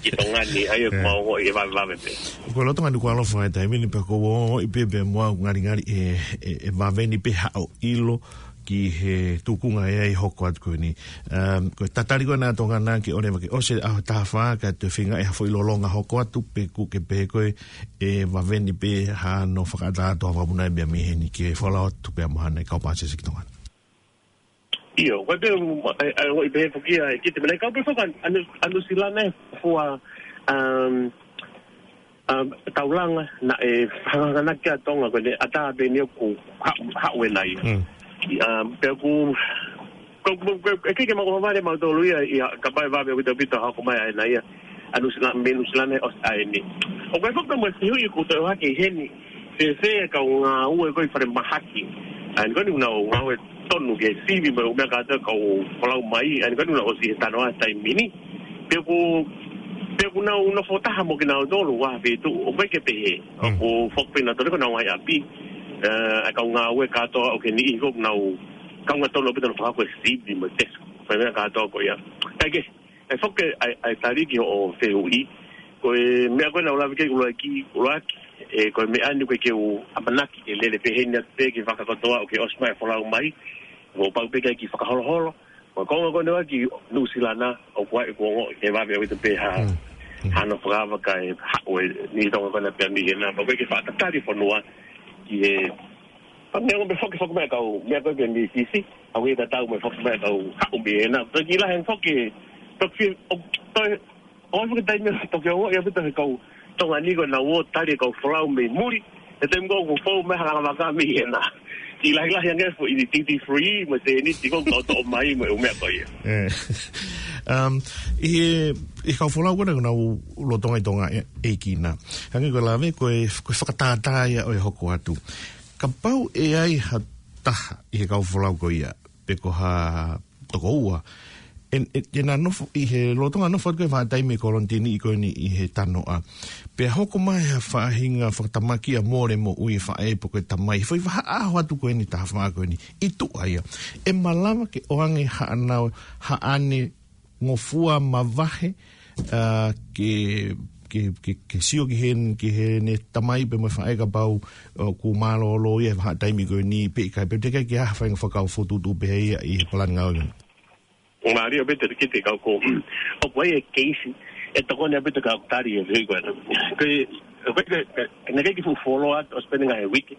ki Tonga ni, ʻa ia ʻoku Yeah. mau ongoʻi ʻe vavevave pē. Ko e loto ngani kuo ʻalofa e taimi ni pea ʻoku ou ongoʻi pē pea mo au ngalingali ʻe, ʻe, ʻe vave ni pē haʻo ʻilo ki he tuʻunga ʻe ʻi ai e hoko atu ko eni. Um, ko e tatali ko ena ʻa Tonga na ke ʻoua leva ke ʻosi e ʻaho ʻe taha fā kae toe feinga ʻe ha foʻi lōloa hoko atu pe ʻoku ke pehē ko ē ʻe vave ni pē hano fakaʻatā atu ha vakapuna ʻe meʻa mei heni ke folau atu pea mo haʻane kau pāsese ki Tonga. ʻIo, ko e pē, ʻa, ʻa, ʻo i pē foki ʻa e kite mena, kau pē foki ʻa Nu-, ʻa Nuʻusila naʻe fuofua, um, um, taulanga naʻe hangahanganaki ʻa Tonga ko ʻene ʻatā pē eni ʻoku ha-, haʻu ena ia. Mm. Um, pea ʻoku, Ko, ko, ko, ʻe ʻikai ke mau ʻohovale mautolu ia, ia, kapau ʻe vave ʻaupito ʻa e hoko mai ʻa ena ia. ʻA Nuʻusila-, mei Nuʻusila na ʻo ʻa eni. ʻOku ʻi ai foki pē mo e fehuʻi ʻoku tau ʻohake heni. Fēfē ʻa e kau ngāue ko ē ʻi falemahaki. ʻA eni ko eni ʻoku nau ngāue tonu ke sivi mo e ʻū meʻa kātoa ʻoku folau mai. ʻA eni ko eni ʻoku nau ʻosi he tanoa he taimi ni. Pea ʻoku, pea ʻoku nau nofo taha mo kinautolu ʻi ha feituʻu. ʻOku ʻikai ke pehē. Mm. ʻOku foki pē nautolu ko ʻenau ngaahi ʻapi. Eh, ʻa e kau ngāue kātoa ʻoku ʻi heni ʻoku nau kaunga tonu ʻaupito ʻenau fakahoko e sivi mo e tesi. Ko e meʻa kātoa ko ia. Kae kehe, ʻe foki ʻa e, ʻa e tali ki hoʻo fehuʻi. Ko e meʻa ko ē naʻa ku lave ki ai ʻuluaki, ʻuluaki, ē, ko e meʻa ni ko ē ke u ʻamanaki ke lele pē heni atu pē ki he vaka kotoa ʻoku ke ʻosi mai folau mai. ʻOku pau pē ke ʻai ke fakaholoholo. Ko e konga ko eni ʻa Nuʻusila na, ʻoku ʻi ai ʻeku ongoʻi ʻe vave ʻaupito pē ha, Mm. Mm. ha nofo fakavaka ʻe haʻu ʻe niʻihi Tonga ko ena pea mei hena. Pea ʻoku ʻikai ke faʻa tatali e fonua ki he Pea meʻa ko ē foki, foki mai kau, meʻa ko ē mei Fisi, ʻoku ʻikai tatau mo e foki mai kau haʻu mei hena. Pea ʻikai lahi ange foki, toki, ʻo, toe, ʻo foki taimi toki ongoʻi ʻaupito he kau Tonga ni ko ʻenau ō tali e kau folau mei muli, he taimi ko ē ʻoku fou mai ha langa vaka mei hena. ʻIkai lahi lahi ange foʻi duty free, mo e tēniti ko ē ʻoku toʻo mai mo e ʻū meʻa ko ia. Eh. Um, ʻi he, ʻi he kau folau ko ena ʻoku nau lolotonga ʻi Tonga ē, ʻEiki na. Hangē ko e lave, ko e, ko e fakatātā ia ʻo e hoko atu. Kapau ʻe ʻi ai ha taha ʻi he kau folau ko ia, pe ko ha tokoua, ʻe, ʻe, ʻe na nofo ʻi he lolotonga nofo atu ko ē e vahaʻa taimi e kolonitini ko eni ʻi he tanoa. Pea hoko mai ha faʻahinga fakatamaki ʻa mole moʻui e faʻē pe ko e tamai. Foʻi vahaʻa ʻaho atu ko eni taha fā ko eni. ʻI tuʻa ia. ʻE malava ke ʻoange haʻana, haʻane ngofua mavahe, ā, ke, ke, ke, ke sio ki he, ki heʻene tamai pe mo e faʻē kapau, ā, ʻoku mālōlō ia he vahaʻa taimi ko eni pe ʻikai, pe teʻeki ke ʻi ai ha faʻahinga fakakaukau fokotuʻutuʻu pehē ia ʻi he palani ngāue. Mālie ʻaupito e kite kau ko. ʻOku ʻi ai e keisi, ʻe tokoni ʻaupito kau tali e vei ko ena. Ko e, ko e, ko e, ko e, naʻe ʻikai ke fuʻu fuoloa atu, ʻosi pē ʻeni ngaahi uike.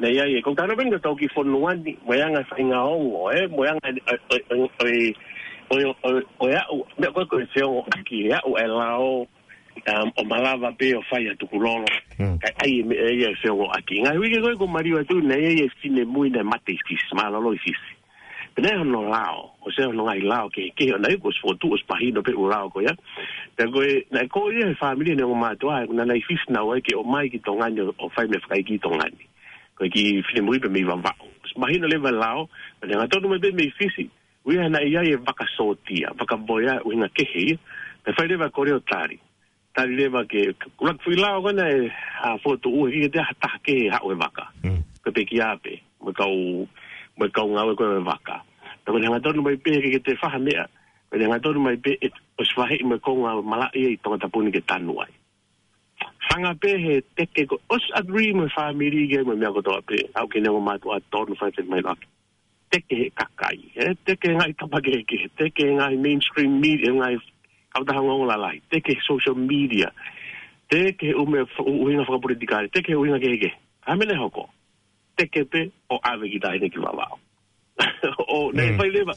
Naʻe ʻi ai e, ko e tano pē ʻeni ko e tau ki fonua ni, mo e anga e faʻahinga ongo, ē, mo e anga e, ʻo, ʻo, ʻo e aʻu, meʻa ko ē ko e feongoʻaki, e aʻu e lao, um, ʻo malava pē ʻo fai atu kulolo. Mm. Kae ʻai e meʻa ia e feongoʻaki. Ngaahi uike ko ē kuo maliu atu, naʻe ʻi ai e finemui naʻe mate ʻi Fisi, mālōlō ʻi Fisi. Pea naʻe hono lao, ʻosi hono ngaahi lao kehekehe, ʻo naʻe kuo ʻosi fokotuʻu, ʻosi mahino pē ʻū lao ko ia. Pea ko e, naʻe kole ia he fāmili ʻene ongo mātuʻa, ʻa ia naʻa nau ʻi Fisi naʻa nau ō ai ke ō mai ki Tonga ni ʻo, ʻo fai meʻa fakaʻeiki ʻi Tonga ni. Ko e kiʻi finemui pē mei Vavaʻu. ʻOsi mahino leva e lao, pea naʻe hangatonu mai pē mei Fisi, ʻuhinga naʻe ʻi ai e vaka sōtia, vaka voea, ʻuhinga kehe ia, pea fai leva e kole ʻo tali. Tali leva ke, ke ʻuluaki foʻi lao ko ena ʻe, ā, fokotuʻu he ʻikai ke toe ʻi ai ha taha kehe ʻe haʻu he vaka. Mm. Ko e pekia pē, mo e kau, mo e kau ngāue ko ē he vaka. Pea ko ʻene hangatonu mai pē he ʻikai ke toe fai ha meʻa. Ko ʻene hangatonu mai pē ʻe, ʻosi vaheʻi mo e konga malaʻe ʻi Tongatapu ni ke tanu ai. Hanga pē he teke ko, ʻosi agree mo e fāmili ke mo e meʻa kotoa pē. Aʻu ki heʻene ongo mātuʻa tonu fai fai mai loa. Teke he kakai, ē? Teke he ngaahi tapa kehekehe, teke he ngaahi mainstream media, ngaahi kautaha ongoongo lalahi, teke he social media, teke he ʻū meʻa fa-, ʻū ʻuhinga fakapolitikale, teke he ʻuhinga kehekehe. Ka ko e meʻa naʻe hoko, teke pē ʻo ʻave e kiʻi taʻahine ki Vavaʻu. ʻO, naʻe Mm. fai leva,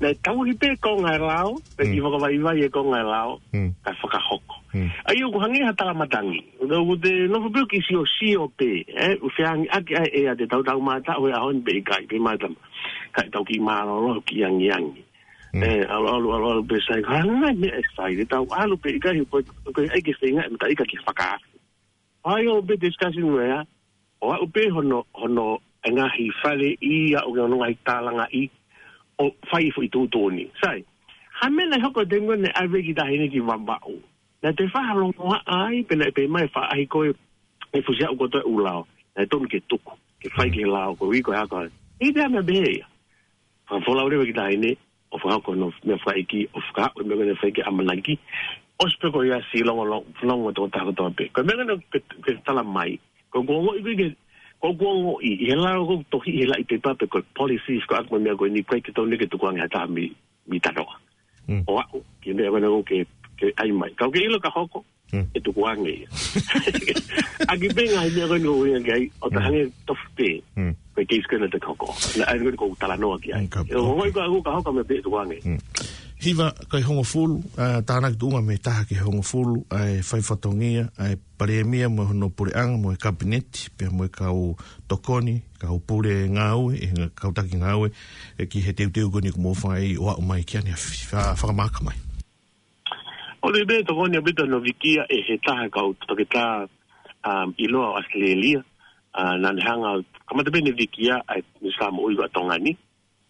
naʻe tauhi pē konga e lao, pea Mm. kiʻi fakavaivai e konga e lao, Mm. kae fakahoko. Mm. ʻA ia ʻoku hangē ha talamatangi. ʻOku te nofo pē ʻo kiʻi siosio pē, ē, ʻoku feangi ʻaki ʻa e ʻea te tau taumātaʻu he ʻaho ni pe ʻikai, pe mātama. Kae tau kiʻi mālōlō, kiʻi angiangi. Mm. Ē, ʻalu, ʻalu, ʻalu, ʻalu pē sai, ko e hā e ngaahi meʻa ʻe fai, te tau ʻalu pe ʻikai, ko e, ko e ʻai ke feinga, mata ika ke fakaafe. ʻAi ʻo pē discussion mo ia, ʻo aʻu pē hono, hono e ngaahi faleʻi, aʻu ki hono ngaahi tālangaʻi, ʻo fai e foʻi tuʻutuʻuni. Sai, ha meʻa naʻe hoko he taimi ko ē naʻe ʻave e kiʻi taʻahine ki Vavaʻu. Naʻe toe fakalongoaʻa ai, pea naʻe pehē mai e faʻahi ko ē, ʻe fusi aʻu kotoa e ʻū lao. Naʻe tonu ke tuku, ke fai Mm. ki he lao, ko e ui ko e ako. ʻIkai te ʻi ai ha meʻa pehē ia. Fakafolau leva e kiʻi taʻahine, ʻo fakahoko hono meʻa fakaʻeiki, ʻo fakahoko e meʻa ko ē naʻe fai ki he ʻamanaki. ʻOsi pē ko ia, siʻi longo, longo, longo tokotaha kotoa pē. Ko e meʻa ko ē naʻe, ke, ke tala mai. Ko ʻeku ongoʻi ko ē ke, ko ʻeku ongoʻi, ʻi he lao ko ē tohi ʻi he laʻi pepa pe ko e policy, ko ʻeku meʻa ko eni ʻikai ke tonu ke tukuange ha taha mei, mei tanoa. Mm. ʻO aʻu ki he meʻa ko ena ʻoku ke, ke ʻai mai. Ka ʻoku ke ʻilo ka hoko, Mm. ʻe tukuange ia. ʻAki pē ngaahi meʻa ko ena ʻoku ʻuhinga ki ai, ʻo Mm. tahange tofu pē. Mm. Ko e case ko ena te hoko. Naʻe ʻai ko ē ʻoku talanoa ki ai. Mm, ka ʻE, ʻo hoko. Ko e ka hoko, ka hoko meʻa pē ʻe tukuange. Mm. Hiva, ko e hongofulu, ā, tānaki tuʻunga mei he taha ki he hongofulu, ʻa e fai fatongia, ʻa e Palēmia mo hono puleʻanga mo e Kapineti, pea mo e kau tokoni, kau pule ngāue, ʻe he kau taki ngāue, ʻe ki he teuteu ko eni kuo mou fai ʻo aʻu mai ki ʻani ʻa fa-, fakamahaki mai. ʻOku ou tui pē ʻe tokoni ʻaupito hono vikia ʻe he taha kau toketā, um, ʻiloa ʻo ʻAositelēlia, ā, naʻa ne hanga, kamata pē ʻene vikia ʻa e Minisitā Moʻui ʻa Tonga ni,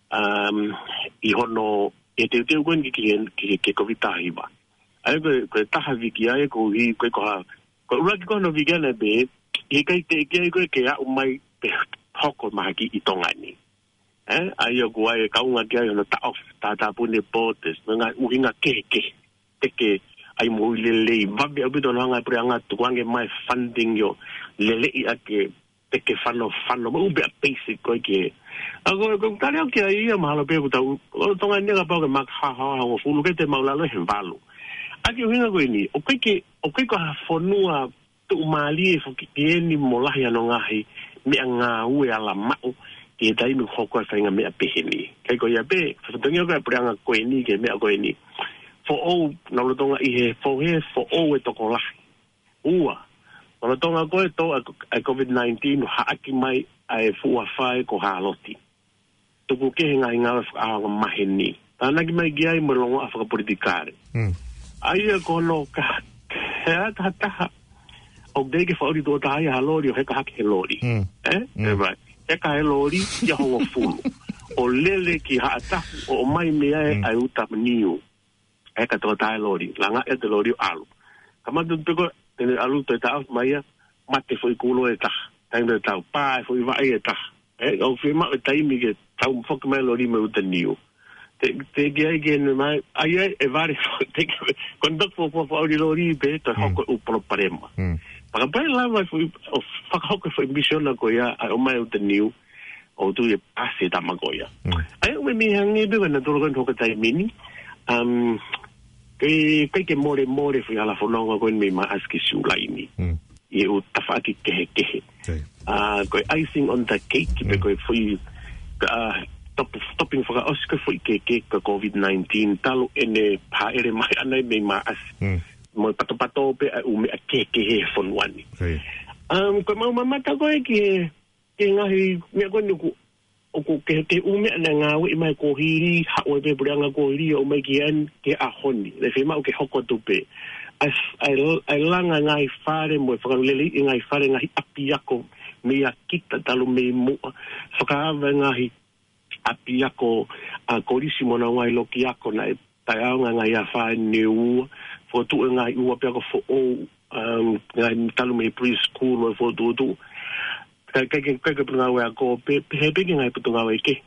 um, ʻi hono, ʻi he teuteu ko eni ki he, ki he, ki he Kōviti taha hiva. ʻA ia ko e, ko e taha vikia ia koeʻuhi, ko e ko ha, ko e ʻuluaki ko hono vikia naʻe pehē, ʻe ʻikai teʻeki ai ko ē ke aʻu mai pe hoko mahaki ʻi Tonga ni. Ē, ʻa ia ko e kaunga ki ai hono taʻofi, tātāpuni e borders, mo e ngaahi ʻuhinga kehekehe. Teke ai moʻui lelei, vave ʻaupito hono hanga ʻe he puleʻanga ʻo tukuange mai funding ʻo lelei ʻaki e teke fanofano, mo e ʻū meʻa basic ko ē ki he. ʻA ko, ko e tali au ki ai ia mahalo pē ʻoku tau, ʻo Tonga ni kapau ke maka haohaoa hongofulu ke te mau lalo he valu. ʻA ia ko e ʻuhinga ko eni, ʻoku ʻikai ke, ʻoku ʻikai ko ha fonua tuʻumālie foki eni mo lahi hono ngaahi meʻangāue alamaʻu ki he taimi ʻoku hoko ai e faʻahinga meʻa pehē ni. Kae ko ia pē, fatongia ko e puleʻanga ko eni ki he meʻa ko eni. Foʻou, naʻa lolotonga ʻi he fohe, foʻou e tokolahi. Ua, naʻa lolotonga ko e tō ʻa e, ʻa e Kōviti nineteen ʻo haʻaki mai ʻa e fuʻu afā ko Hāloti. Tuku kehe e ngaahi ngāue fakaʻaonga maheni. Tānaki mai ki ai mo e longoaʻa fakapolitikale. Mm. ʻA ia ko hono ka, he ʻa e taha taha, ʻoku teʻeki ke fakaʻuli tuʻo taha ia ha loli ʻo heka hake he loli. Mm. Ē? Mm. Ē, right. Heka he loli, ia hongofulu. ʻO lele ki Haʻatapu, ʻo ʻomai mei ai Mm. ʻa e uta niu. Heka tuʻo taha e loli, langa e te loli ʻo ʻalu. Kamata pē ko ē, te ne ʻalu toe taʻofi mai ia, mate foʻi kulo ʻe taha. Taimi ʻe tau, pā e foʻi vaʻe ʻe taha. Ē, ʻoku fiemaʻu e taimi ke tau foki mai loli mo e uta niu. Te, teʻeki ai ke ne mai, ʻa ia ʻe vale, te ke, ko e toki fo, fo, fo, ʻauli loli pē, toe Mm. hoko e ʻū palopalema. Mm. Fakapai lava foʻi, ʻo fakahoko e foʻi misiona ko ia, ʻa e ʻomai e uta niu, ʻoku ou tui ʻe pasi e tama ko ia. Mm. ʻA ia, ʻoku mei hangē pē ko ē naʻa tau lolotonga hoko taimi ni, um, ke, ke, ke mole mole foʻi hala fononga ko eni mei Maʻasi ki Siulai ni. Mm. ʻI he ʻū tafaʻaki kehekehe. Okay. Ā, ko e icing on the cake, pē Mm. ko e foʻi, ā, top, topping fakaʻosi ko e foʻi kehekehe ko e Kōviti nineteen, talu ʻene hāʻele mai ʻana mei Maʻasi. Mm. Mo e patopato pē ʻa e ʻū meʻa kehekehe he fonua ni. Okay. Um, ko e mau mamata ko ē ki he, ki he ngaahi meʻa ko eni ʻoku ʻoku ke, ke ʻū meʻa naʻe ngāueʻi mai kuo hili, haʻu ai pē puleʻanga kuo hili, ʻo mai ki ʻani, ki he ʻaho ni. Naʻe fiemaʻu ke hoko atu pē. ʻA e, ʻa e, ʻa e langa ngaahi fale mo e fakalelei e ngaahi fale, ngaahi ʻapiako mei ʻa kita talu mei muʻa. Fakaava e ngaahi ʻapiako ʻa e kolisi mo honau ngaahi loki ako naʻe taʻeʻaonga e ngaahi afā ʻe ua, fokotuʻu e ngaahi ʻū ʻapiako foʻou, um, ngaahi talu mei preschool ʻo e fokotuʻutuʻu. Kae, kae, kae, kae Potungāue Ako pē, pehē pē ki he ngaahi potungāue kehe.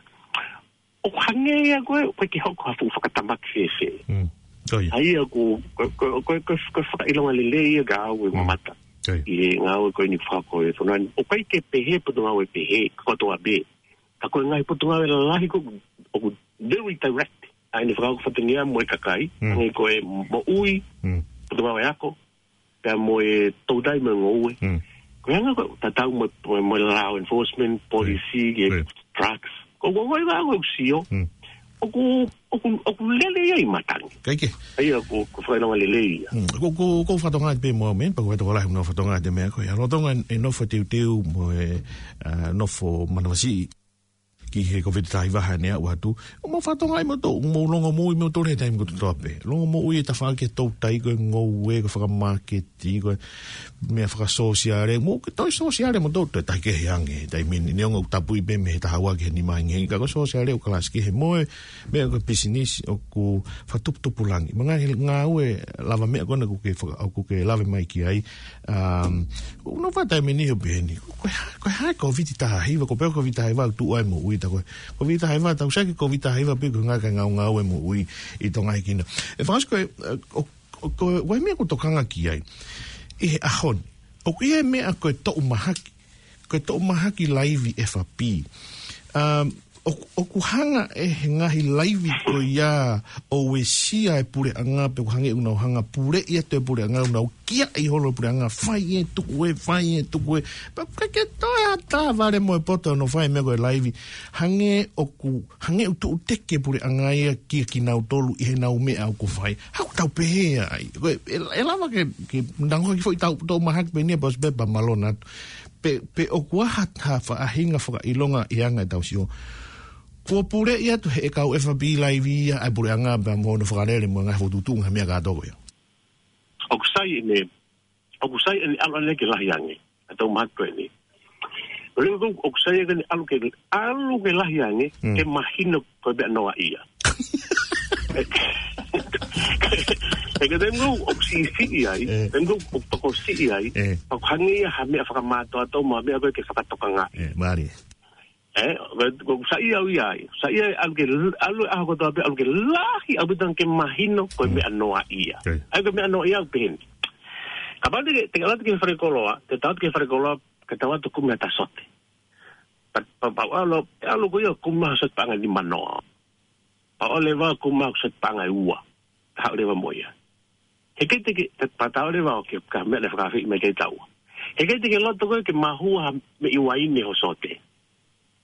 ʻOku hangē ia ko ē, ʻoku ʻikai ke hoko ha fuʻu fakatamaki fēfē. Mm. Ko ia. ʻA ia ko, ko, ko, ko, ko, ko e fakaʻilonga lelei ia kiate au e Mm. mamata. Ko ia. ʻI he ngāue ko eni fakahoko ʻe he fonua ni. ʻOku ʻikai ke pehē potungāue pehē, kotoa pē. Ka ko e ngaahi potungāue lalahi ko ē, ʻoku very direct. ʻA eni fakahoko fatongia mo e kakai, Mm. hangē ko e moʻui, Mm. potungāue ako, pea mo e toutai mo e ngoue. Mm. Ko e anga ko ē, tatau mo, mo, mo e law enforcement, policy, Ko ia. ke Ko ia. drugs. Ko, ko, ko e ngaahi ko ē ʻoku sio. Mm. ʻOku, ʻoku, ʻoku lele ia ʻi matangi. Kae kehe. ʻA ia ko, ko e fakaʻilonga lelei ia. Mm. Ko, ko, ko e fakatonga pē mo men, pea ko e fakatonga lahi mo e fakatonga te meʻa ko ia. Lolotonga e nofo teuteu mo e, ā, nofo manavasiʻi ki he Kōviti taha hiva ʻa ʻene aʻu atu. ʻOku mou fakatonga ai moutolu, mou longomoʻui moutolu he taimi kotoa pē. Longomoʻui e tafaʻaki e toutai ko e ngoue, ko e fakamāketi, ko e meʻa fakasōsiale. Mou ke toe sōsiale moutolu, toe tahi kehe ange he taimi ni. Neongo ʻoku tapui pē mei he taha ua ki he nima ange. Ka ko e sōsiale ʻoku kalasi kehe mo e meʻa ko e pisinisi ʻoku fakatuputupulangi. Mo e ngaahi ngāue lavameʻa ko ena ʻoku ke faka-, ʻoku ke lave mai ki ai. Um, ʻoku ou nofo he taimi ni ʻo pehē ni. Ko e hā, ko e hā e Kōviti taha hiva, ko e pehē Kōviti taha hiva, tuʻu ai moʻui ta ko e. Kōviti taha hiva, tau sio ki he Kōviti taha hiva pē ko e ngaahi kae ngaungaue moʻui ʻi Tonga hikina. ʻE Fangasi ko e, ʻo, ʻo, ko e, ʻoku ʻi ai e meʻa ʻoku ou tokanga ki ai. ʻI he ʻaho ni. ʻOku ʻi ai e meʻa ko e toʻu mahaki. Ko e toʻu mahaki laivi F R P. Um, ʻOku, ʻoku hanga ʻe he ngaahi laivi ko ia ʻo uesia e puleʻanga pe ʻoku hangē ʻoku nau hanga puleʻi atu e puleʻanga, ʻoku nau kiaʻi holo e puleʻanga, fai ē, tuku ē, fai ē, tuku ē. Pea ʻoku ʻikai ke toe ʻatā vale mo e poto ʻo nau fai e meʻa ko e laivi. Hangē ʻoku, hangē ʻoku tuʻu teke e puleʻanga ia kia kinautolu ʻi heʻenau meʻa ʻoku fai. Haʻaku tau pehē ai. Ko e, ʻe, ʻe lava ke, ke nau hanga ki foʻi tau, tau mahaki pē ʻeni ʻa Boss Pepper, mālō atu. Pe, pe ʻoku ʻi ai ha, ha faʻahinga fakaʻilonga ʻi he anga ʻetau sio. Kuo puleʻi atu ʻe he kau F B laivi ia ʻa e puleʻanga pea mo hono fakalele mo e ngaahi fokotuʻutuʻu ngaahi meʻa kātoa ko ia. ʻOku sai ʻene, ʻoku sai ʻene ʻalu ʻaneafi ke lahi ange. ʻA e tau mahaki ko ʻeni. Ko e lea ko ē, ʻoku sai ʻene ʻalu ke, ʻalu ke lahi ange, Mm. ke mahino ko e meʻa noaʻia. ʻE ka taimi ko ē ʻoku siʻisiʻi ai, Eh. taimi ko ē ʻoku tokosiʻi ai, Eh. ʻoku hangē ia ha meʻa fakamātoato mo ha meʻa ko ē ke fakatokangaʻi. Eh, mālie. ʻE, ko, ko, saiʻia au ia ai. Saiʻia ʻalu ke, ʻalu ʻaho kotoa pē, ʻalu ke lahi ʻaupito ange ke mahino ko e Mm. meʻa noaʻia. Okay. ʻA ia ko e meʻa noaʻia ʻoku pehē ni. Kapau te ke, te ke ʻalu atu ki he falekoloa, te tau atu ki he falekoloa, ke tau atu kumi ha taha sote. Pa, pa, pau ʻalu, ʻalu ko ia kumi ha sote paʻanga ʻe nima noa. Pau ʻalu leva kumi ha sote paʻanga ʻe ua. Haʻu leva mo ia. He ʻikai te ke, te, pea tau leva ʻo ke, ka meʻa naʻe fakaafeʻi mai ki ai taua. He ʻikai te ke loto koe ke mahua ha meʻi uaine ho sote.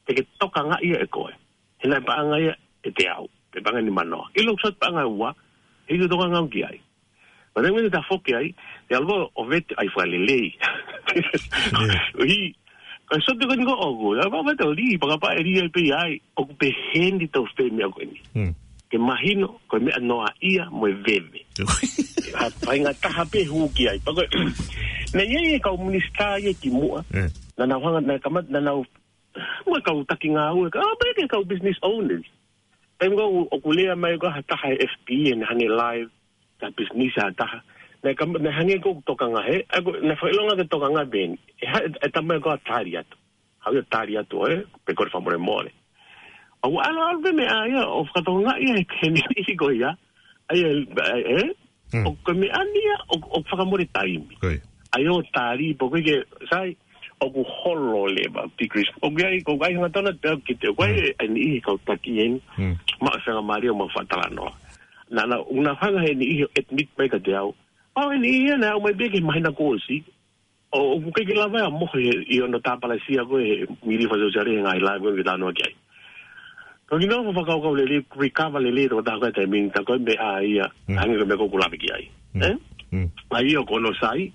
Te ke tokangaʻi ia ʻe koe. He naʻe paʻanga ia ʻe teau. Pe paʻanga ʻe nima noa. ʻIlo sote paʻanga ʻe ua. He ʻikai tokanga au ki ai. Pea taimi ʻe tafoki ai, te ʻalu ʻo vete ai fakalelei. ʻIo. Ko e sote ko eni ko ē ʻoku, ʻa, pea vete ʻo lī, pea kapau ʻe lī ai pē ia ai, ʻoku pehē ni tau fai e meʻa ko eni. Mm. Ke mahino, ko e meʻa noaʻia mo e veve. ʻIo. Ha, faʻahinga taha pē hū ki ai. Pea ko e, naʻe ʻi ai e kau minisitā ia kimuʻa. Eh. Naʻa nau hanga, naʻe kamata, naʻa nau, mo e kau taki ngāue, ka, ʻa, pea ki he kau business owners. Taimi ko ē ʻoku lea mai ko ē ha taha he F B, ʻene hangē live, ka business ha taha. Naʻe kam-, naʻe hangē ʻoku tokanga he, ʻa ko, naʻe fakaʻilonga ke tokanga pē eni. ʻE ha, ʻe, ʻe tama ko ē tali atu. Haʻu ia tali atu ē, pe ko e fakamolemole. ʻOku ʻalu ʻalu pē meʻa ia, ʻo fakatokangaʻi ia he niʻihi ko ia. ʻA ia, ʻa, ʻe, Mm. ʻoku meʻa ni ia, ʻo, ʻo fakamole taimi. Ko ia. ʻA ia ʻo tali, pea ko e ke, sai, ʻoku holo leva, degrees. ʻOku ʻi ai, ʻoku ʻi ai hangatonu pē ʻoku ke te, ʻoku ʻi ai Mm. e niʻihi kau taki eni. Mm. Maʻu e faingamālie ʻo maʻu fakatalanoa. Naʻa, naʻa, naʻa hanga he niʻihi ʻo admit mai kiate au. ʻO e niʻihi ia naʻe ʻomai pē ki he māhina kuo ʻosi. ʻO, ʻoku ʻikai ke lava ia mo he, ʻi hono tāpalasia ko ē he mili fakasōsiale he ngaahi live ko ē ke talanoa ki ai. Ka kinautolu fakakaukau lelei, recover lelei, toko taha ko ē taimi ni, tā ko e meʻa ia, Mm. hangē ko e meʻa ko ē ʻoku lave ki ai. Mm. Eh? Mm. ʻA ia ko hono sai,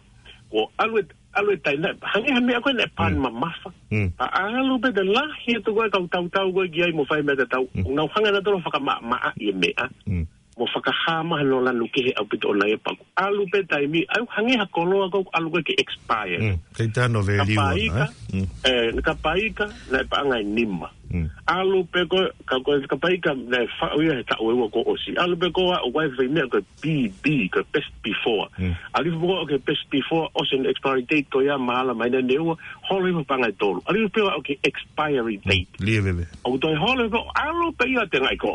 ko e ʻalu e, ʻalu e taina, hangē ha meʻa ko ē naʻe pan Mm. mamafa. Mm. ʻA ʻalu pē te lahi atu ko ē kau tautau ko ē ki ai mo fai meʻa tatau. Mm. ʻOku nau hanga nautolu ʻo fakamaʻamaʻaʻi e meʻa. Mm. Mo fakahā mai hono lanu kehe ʻaupito ʻona ia pea ʻalu pē taimi, ʻa ia hangē ha koloa ko ē ʻalu ko ē ke expire. Mm, kei tano value Ka paika, ʻona, eh? Mm. eh, ka paika, naʻe paʻanga ʻe nima. Mm. ʻAlu pē ko ē, ka ko ē, ka paika, naʻe faʻu ia he taʻu ʻe ua kuo ʻosi. ʻAlu pē ko ē, ʻo wai fai meʻa ko e B B, ko e best before. Mm. ʻAlu pē ko ē, ʻo ke best before, ʻosi hono expiry date ko ia, māhina, māhina ʻe ua, holo hifo paʻanga ʻe tolu. ʻAlu pē ko ē, ʻo ke expiry Mm. date. Lie veve. ʻOku toe holo hifo, ʻalu pē ia te ngai ko.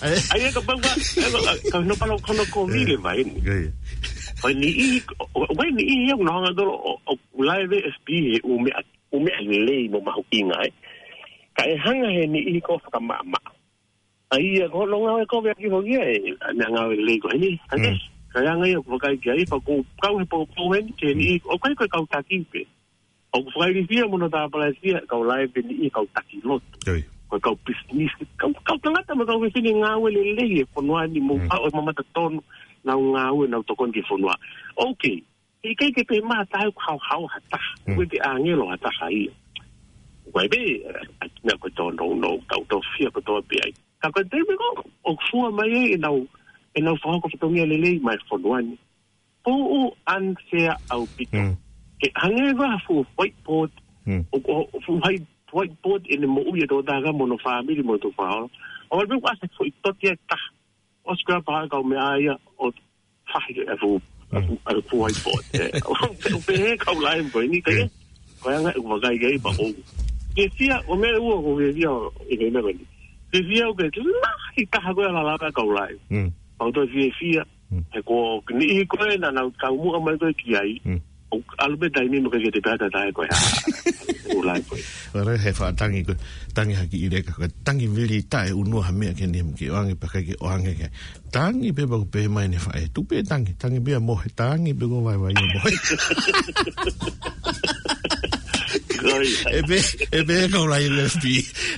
ʻAi. ʻAi, ʻe ka pau ka, ʻe ka, ka no palo kono ko Mm. vile mai ni. Ko ia. Ko e niʻihi, ʻo, ʻo, ko e niʻihi ia ʻoku nau hanga nautolu ʻo, ʻo live F B he ʻū meʻa, ʻū meʻa lelei mo mahuʻinga, eh. Ka ʻe hanga he niʻihi ko ē ʻo fakamaʻamaʻa. ʻA ia, ko hono ngāue ko ē ʻa e kiʻi foʻi ē, ʻa e ngāue lelei ko eni, ʻa e, Mm. ka ʻi ai e ngaahi ʻoku vakai ki ai, pea ko e kau he poupou heni, ke ni, Mm. ʻoku ʻikai ko e kau taki pē. ʻOku fakailifia mo hono tāpalasia, kau live eni ʻa e kau taki lotu. Oi. Ko e kau business, kau, kau tangata mo e kau fefine ngāue lelei he fonua ni mo Mm. kau ʻo mamata tonu, nau ngāue, nau tokoni ki he fonua. Okay. ʻIkai ke pehē mai ha taha ʻoku haohaoa ha taha. Mm. ʻOku ʻikai ke ʻāngelo ha taha ia. ʻOku ʻi ai pē, eh, ʻa e meʻa ko e tōnounou, tau tofia kotoa pē ai. Ka ko e taimi ko ē, ʻoku fua mai ai ʻenau, ʻenau fakahoko fatongia lelei mai fonua ni. Puʻu unfair ʻaupito. Mm. Ke hangē ko ha fuʻu whiteboard, Mm. ʻo, ʻo, fuʻu hai-, whiteboard ʻene moʻui ʻa e tokotaha mo hono fāmili mo hono tuʻu faʻahinga. ʻO wale pē ʻoku ʻasi ha foʻi tote ʻe taha. ʻOsi ko ia pea kau meʻa ia ʻo fahi e fuʻu, Mm. fuʻu, fuʻu whiteboard. Eh, ʻo pehē kau live ko eni, ka Mm. ko e anga ʻeku vakai ki ai pea ʻoku. Ke fia, ʻo meʻa ua ʻoku ke fia ʻi he meʻa ko eni. Ke fia ʻoku ke lahi taha ko ē ʻa e lava kau live. Mm. Pea ʻoku toe fiefia, Mm. he ko e niʻihi ko ē naʻa nau kau muʻa mai ko ē ki ai. Mm. ʻOku ʻalu pē taimi mo ke ke te pehē ʻe taha ko e hā. ʻUlai ko ē. Ora he faʻa tangi ko, tangi haki ʻi leka, ko e tangi vili taʻe ʻunua ha meʻa ke ne ke ʻoange pea ʻikai ke ʻoange ke. Tangi pē pea ko e pehē mai ʻene faʻē. Tuku pē tangi, tangi pē ʻa mohe, tangi pē ko e vaivai ʻa mohe. Ko ia. ʻE pehē, ʻe pehē kau laivi F B,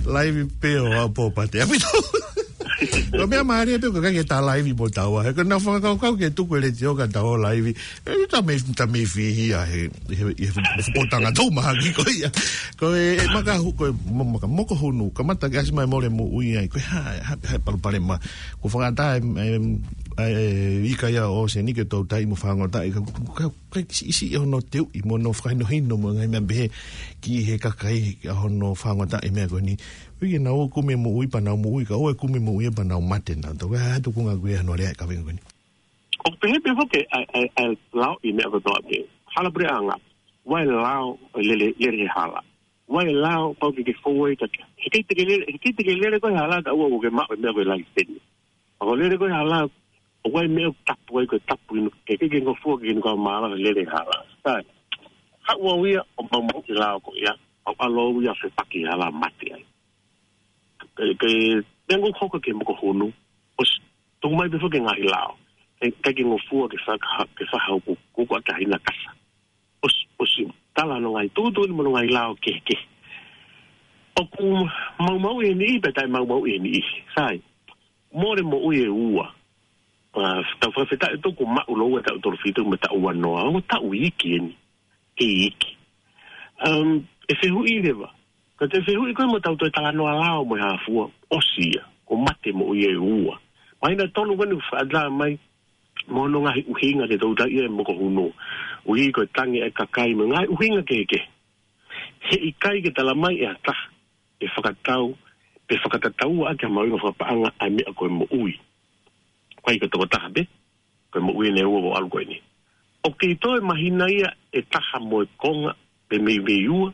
laivi pē ʻo aʻu pō pate. ʻApito. Ko e meʻa mālie pē ko e ʻikai ke ta laivi mo taua. He ko ʻena fakakaukau ke tuku e letiō kae tau laivi. ʻE, ta mei, ta mei fihia he, he, he, he potanga tau mahaki ko ia. Ko e, e maka hu-, ko e mo-, maka moko hunu, kamata ke ʻasi mai mole moʻui ai, ko e hā, hā, hā e palopalema. Ko e fakaʻatā e, e, e, e ika ia ʻo ʻōseni ke tau tai mo fāngotaʻi, ka, ka, ka, ʻoku ʻikai siʻisiʻi hono teuʻi mo hono fakahinohino mo e ngaahi meʻa pehē ki he kakai ʻa hono fāngotaʻi e meʻa ko eni. Pea ke nau kumi moʻui pea nau moʻui, ka ʻoua ʻe kumi moʻui pea nau mate nautolu. Ko e hā e tuʻunga ko ē ʻa hono lea e kaveinga ko eni. ʻOku pehē pē foki ʻa e, ʻa e, ʻa e lao ʻi he meʻa kotoa pē. Hala puleʻanga. ʻOua ʻe lao ʻo lele, lele he hala. ʻOua ʻe lao pau ke ke fou ai ka ke. He ʻikai te ke lele, he ʻikai te ke lele koe he hala kae ʻoua ke maʻu e meʻa ko e laiseni. Pea ko e lele koe he hala, ʻoku ʻi ai e meʻa ʻoku tapu ai, ko e tapu inu, ke ke ke ngofua ke inu ka mālō he lele he hala. Sai. Haʻu au ia ʻo maumauʻi e lao ko ia, ʻo ʻalu au ia ʻo fepaki he hala mate ai. Ke, ke, meʻa ʻoku hoko ki he moko hunu, ʻosi, tuku mai pē foki e ngaahi lao. Ke, ke ke ngofua ke faka-, ke faha uku, kuku a kahina kasa. ʻOsi, ʻosi, tala hono ngaahi tuʻutuʻuni mo hono ngaahi lao kehekehe. ʻOku maumauʻi e niʻihi, pea taʻe maumauʻi e niʻihi. Sai, mole moʻui ʻe ua. Pea tau fakafetaʻi ʻoku maʻu lōua taʻu tolu fitu mo e taʻu ua noa. Ongo taʻu iiki eni. Kei iiki. Um, ʻe fehuʻi leva. Ka te fehuʻi koe mo tau toe talanoa lao mo e hā fua. ʻOsi ia. Ko e mate moʻui ʻe ua. Māhina tolu ko eni ʻoku fakaʻatā mai mo hono ngaahi ʻuhinga ke tau taiʻi e moko hunu. ʻUhi ko e tangi e kakai mo e ngaahi ʻuhinga kehekehe. He ʻikai ke tala mai ʻe ha taha ʻe fakatau, pe fakatataua ʻaki ha mahuʻinga fakapaʻanga ʻa e meʻa ko e moʻui. Ko e ʻikai ko e tokotaha pē, ko e moʻui ʻe ua ʻoku ʻalu ko eni. ʻOku kei toe māhina ia ʻe taha mo e konga, pe meimei ua,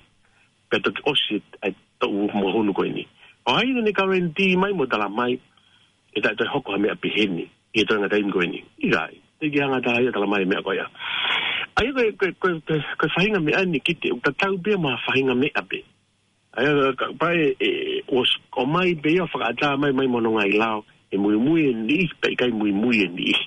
pea toki ʻosi ʻa e toʻu moko hunu ko eni. ʻOku ʻi ai ʻene guarantee mai mo tala mai, ʻe taʻe toe hoko ha meʻa pehē ni, ʻi he toenga taimi ko eni. ʻIkai, teʻeki hanga ʻe ha taha ia tala mai e meʻa ko ia. ʻA ia ko e, ko e, ko e, ko e, ko e faʻahinga meʻa ni kiate au, ʻoku tatau pē ia mo ha faʻahinga meʻa pē. ʻA ia, ka, pea ʻe, ʻe, ʻosi, ʻomai pē ia fakaʻatā mai, mai mo hono ngaahi lao, ʻe muimui e niʻihi, pe ʻikai muimui e niʻihi.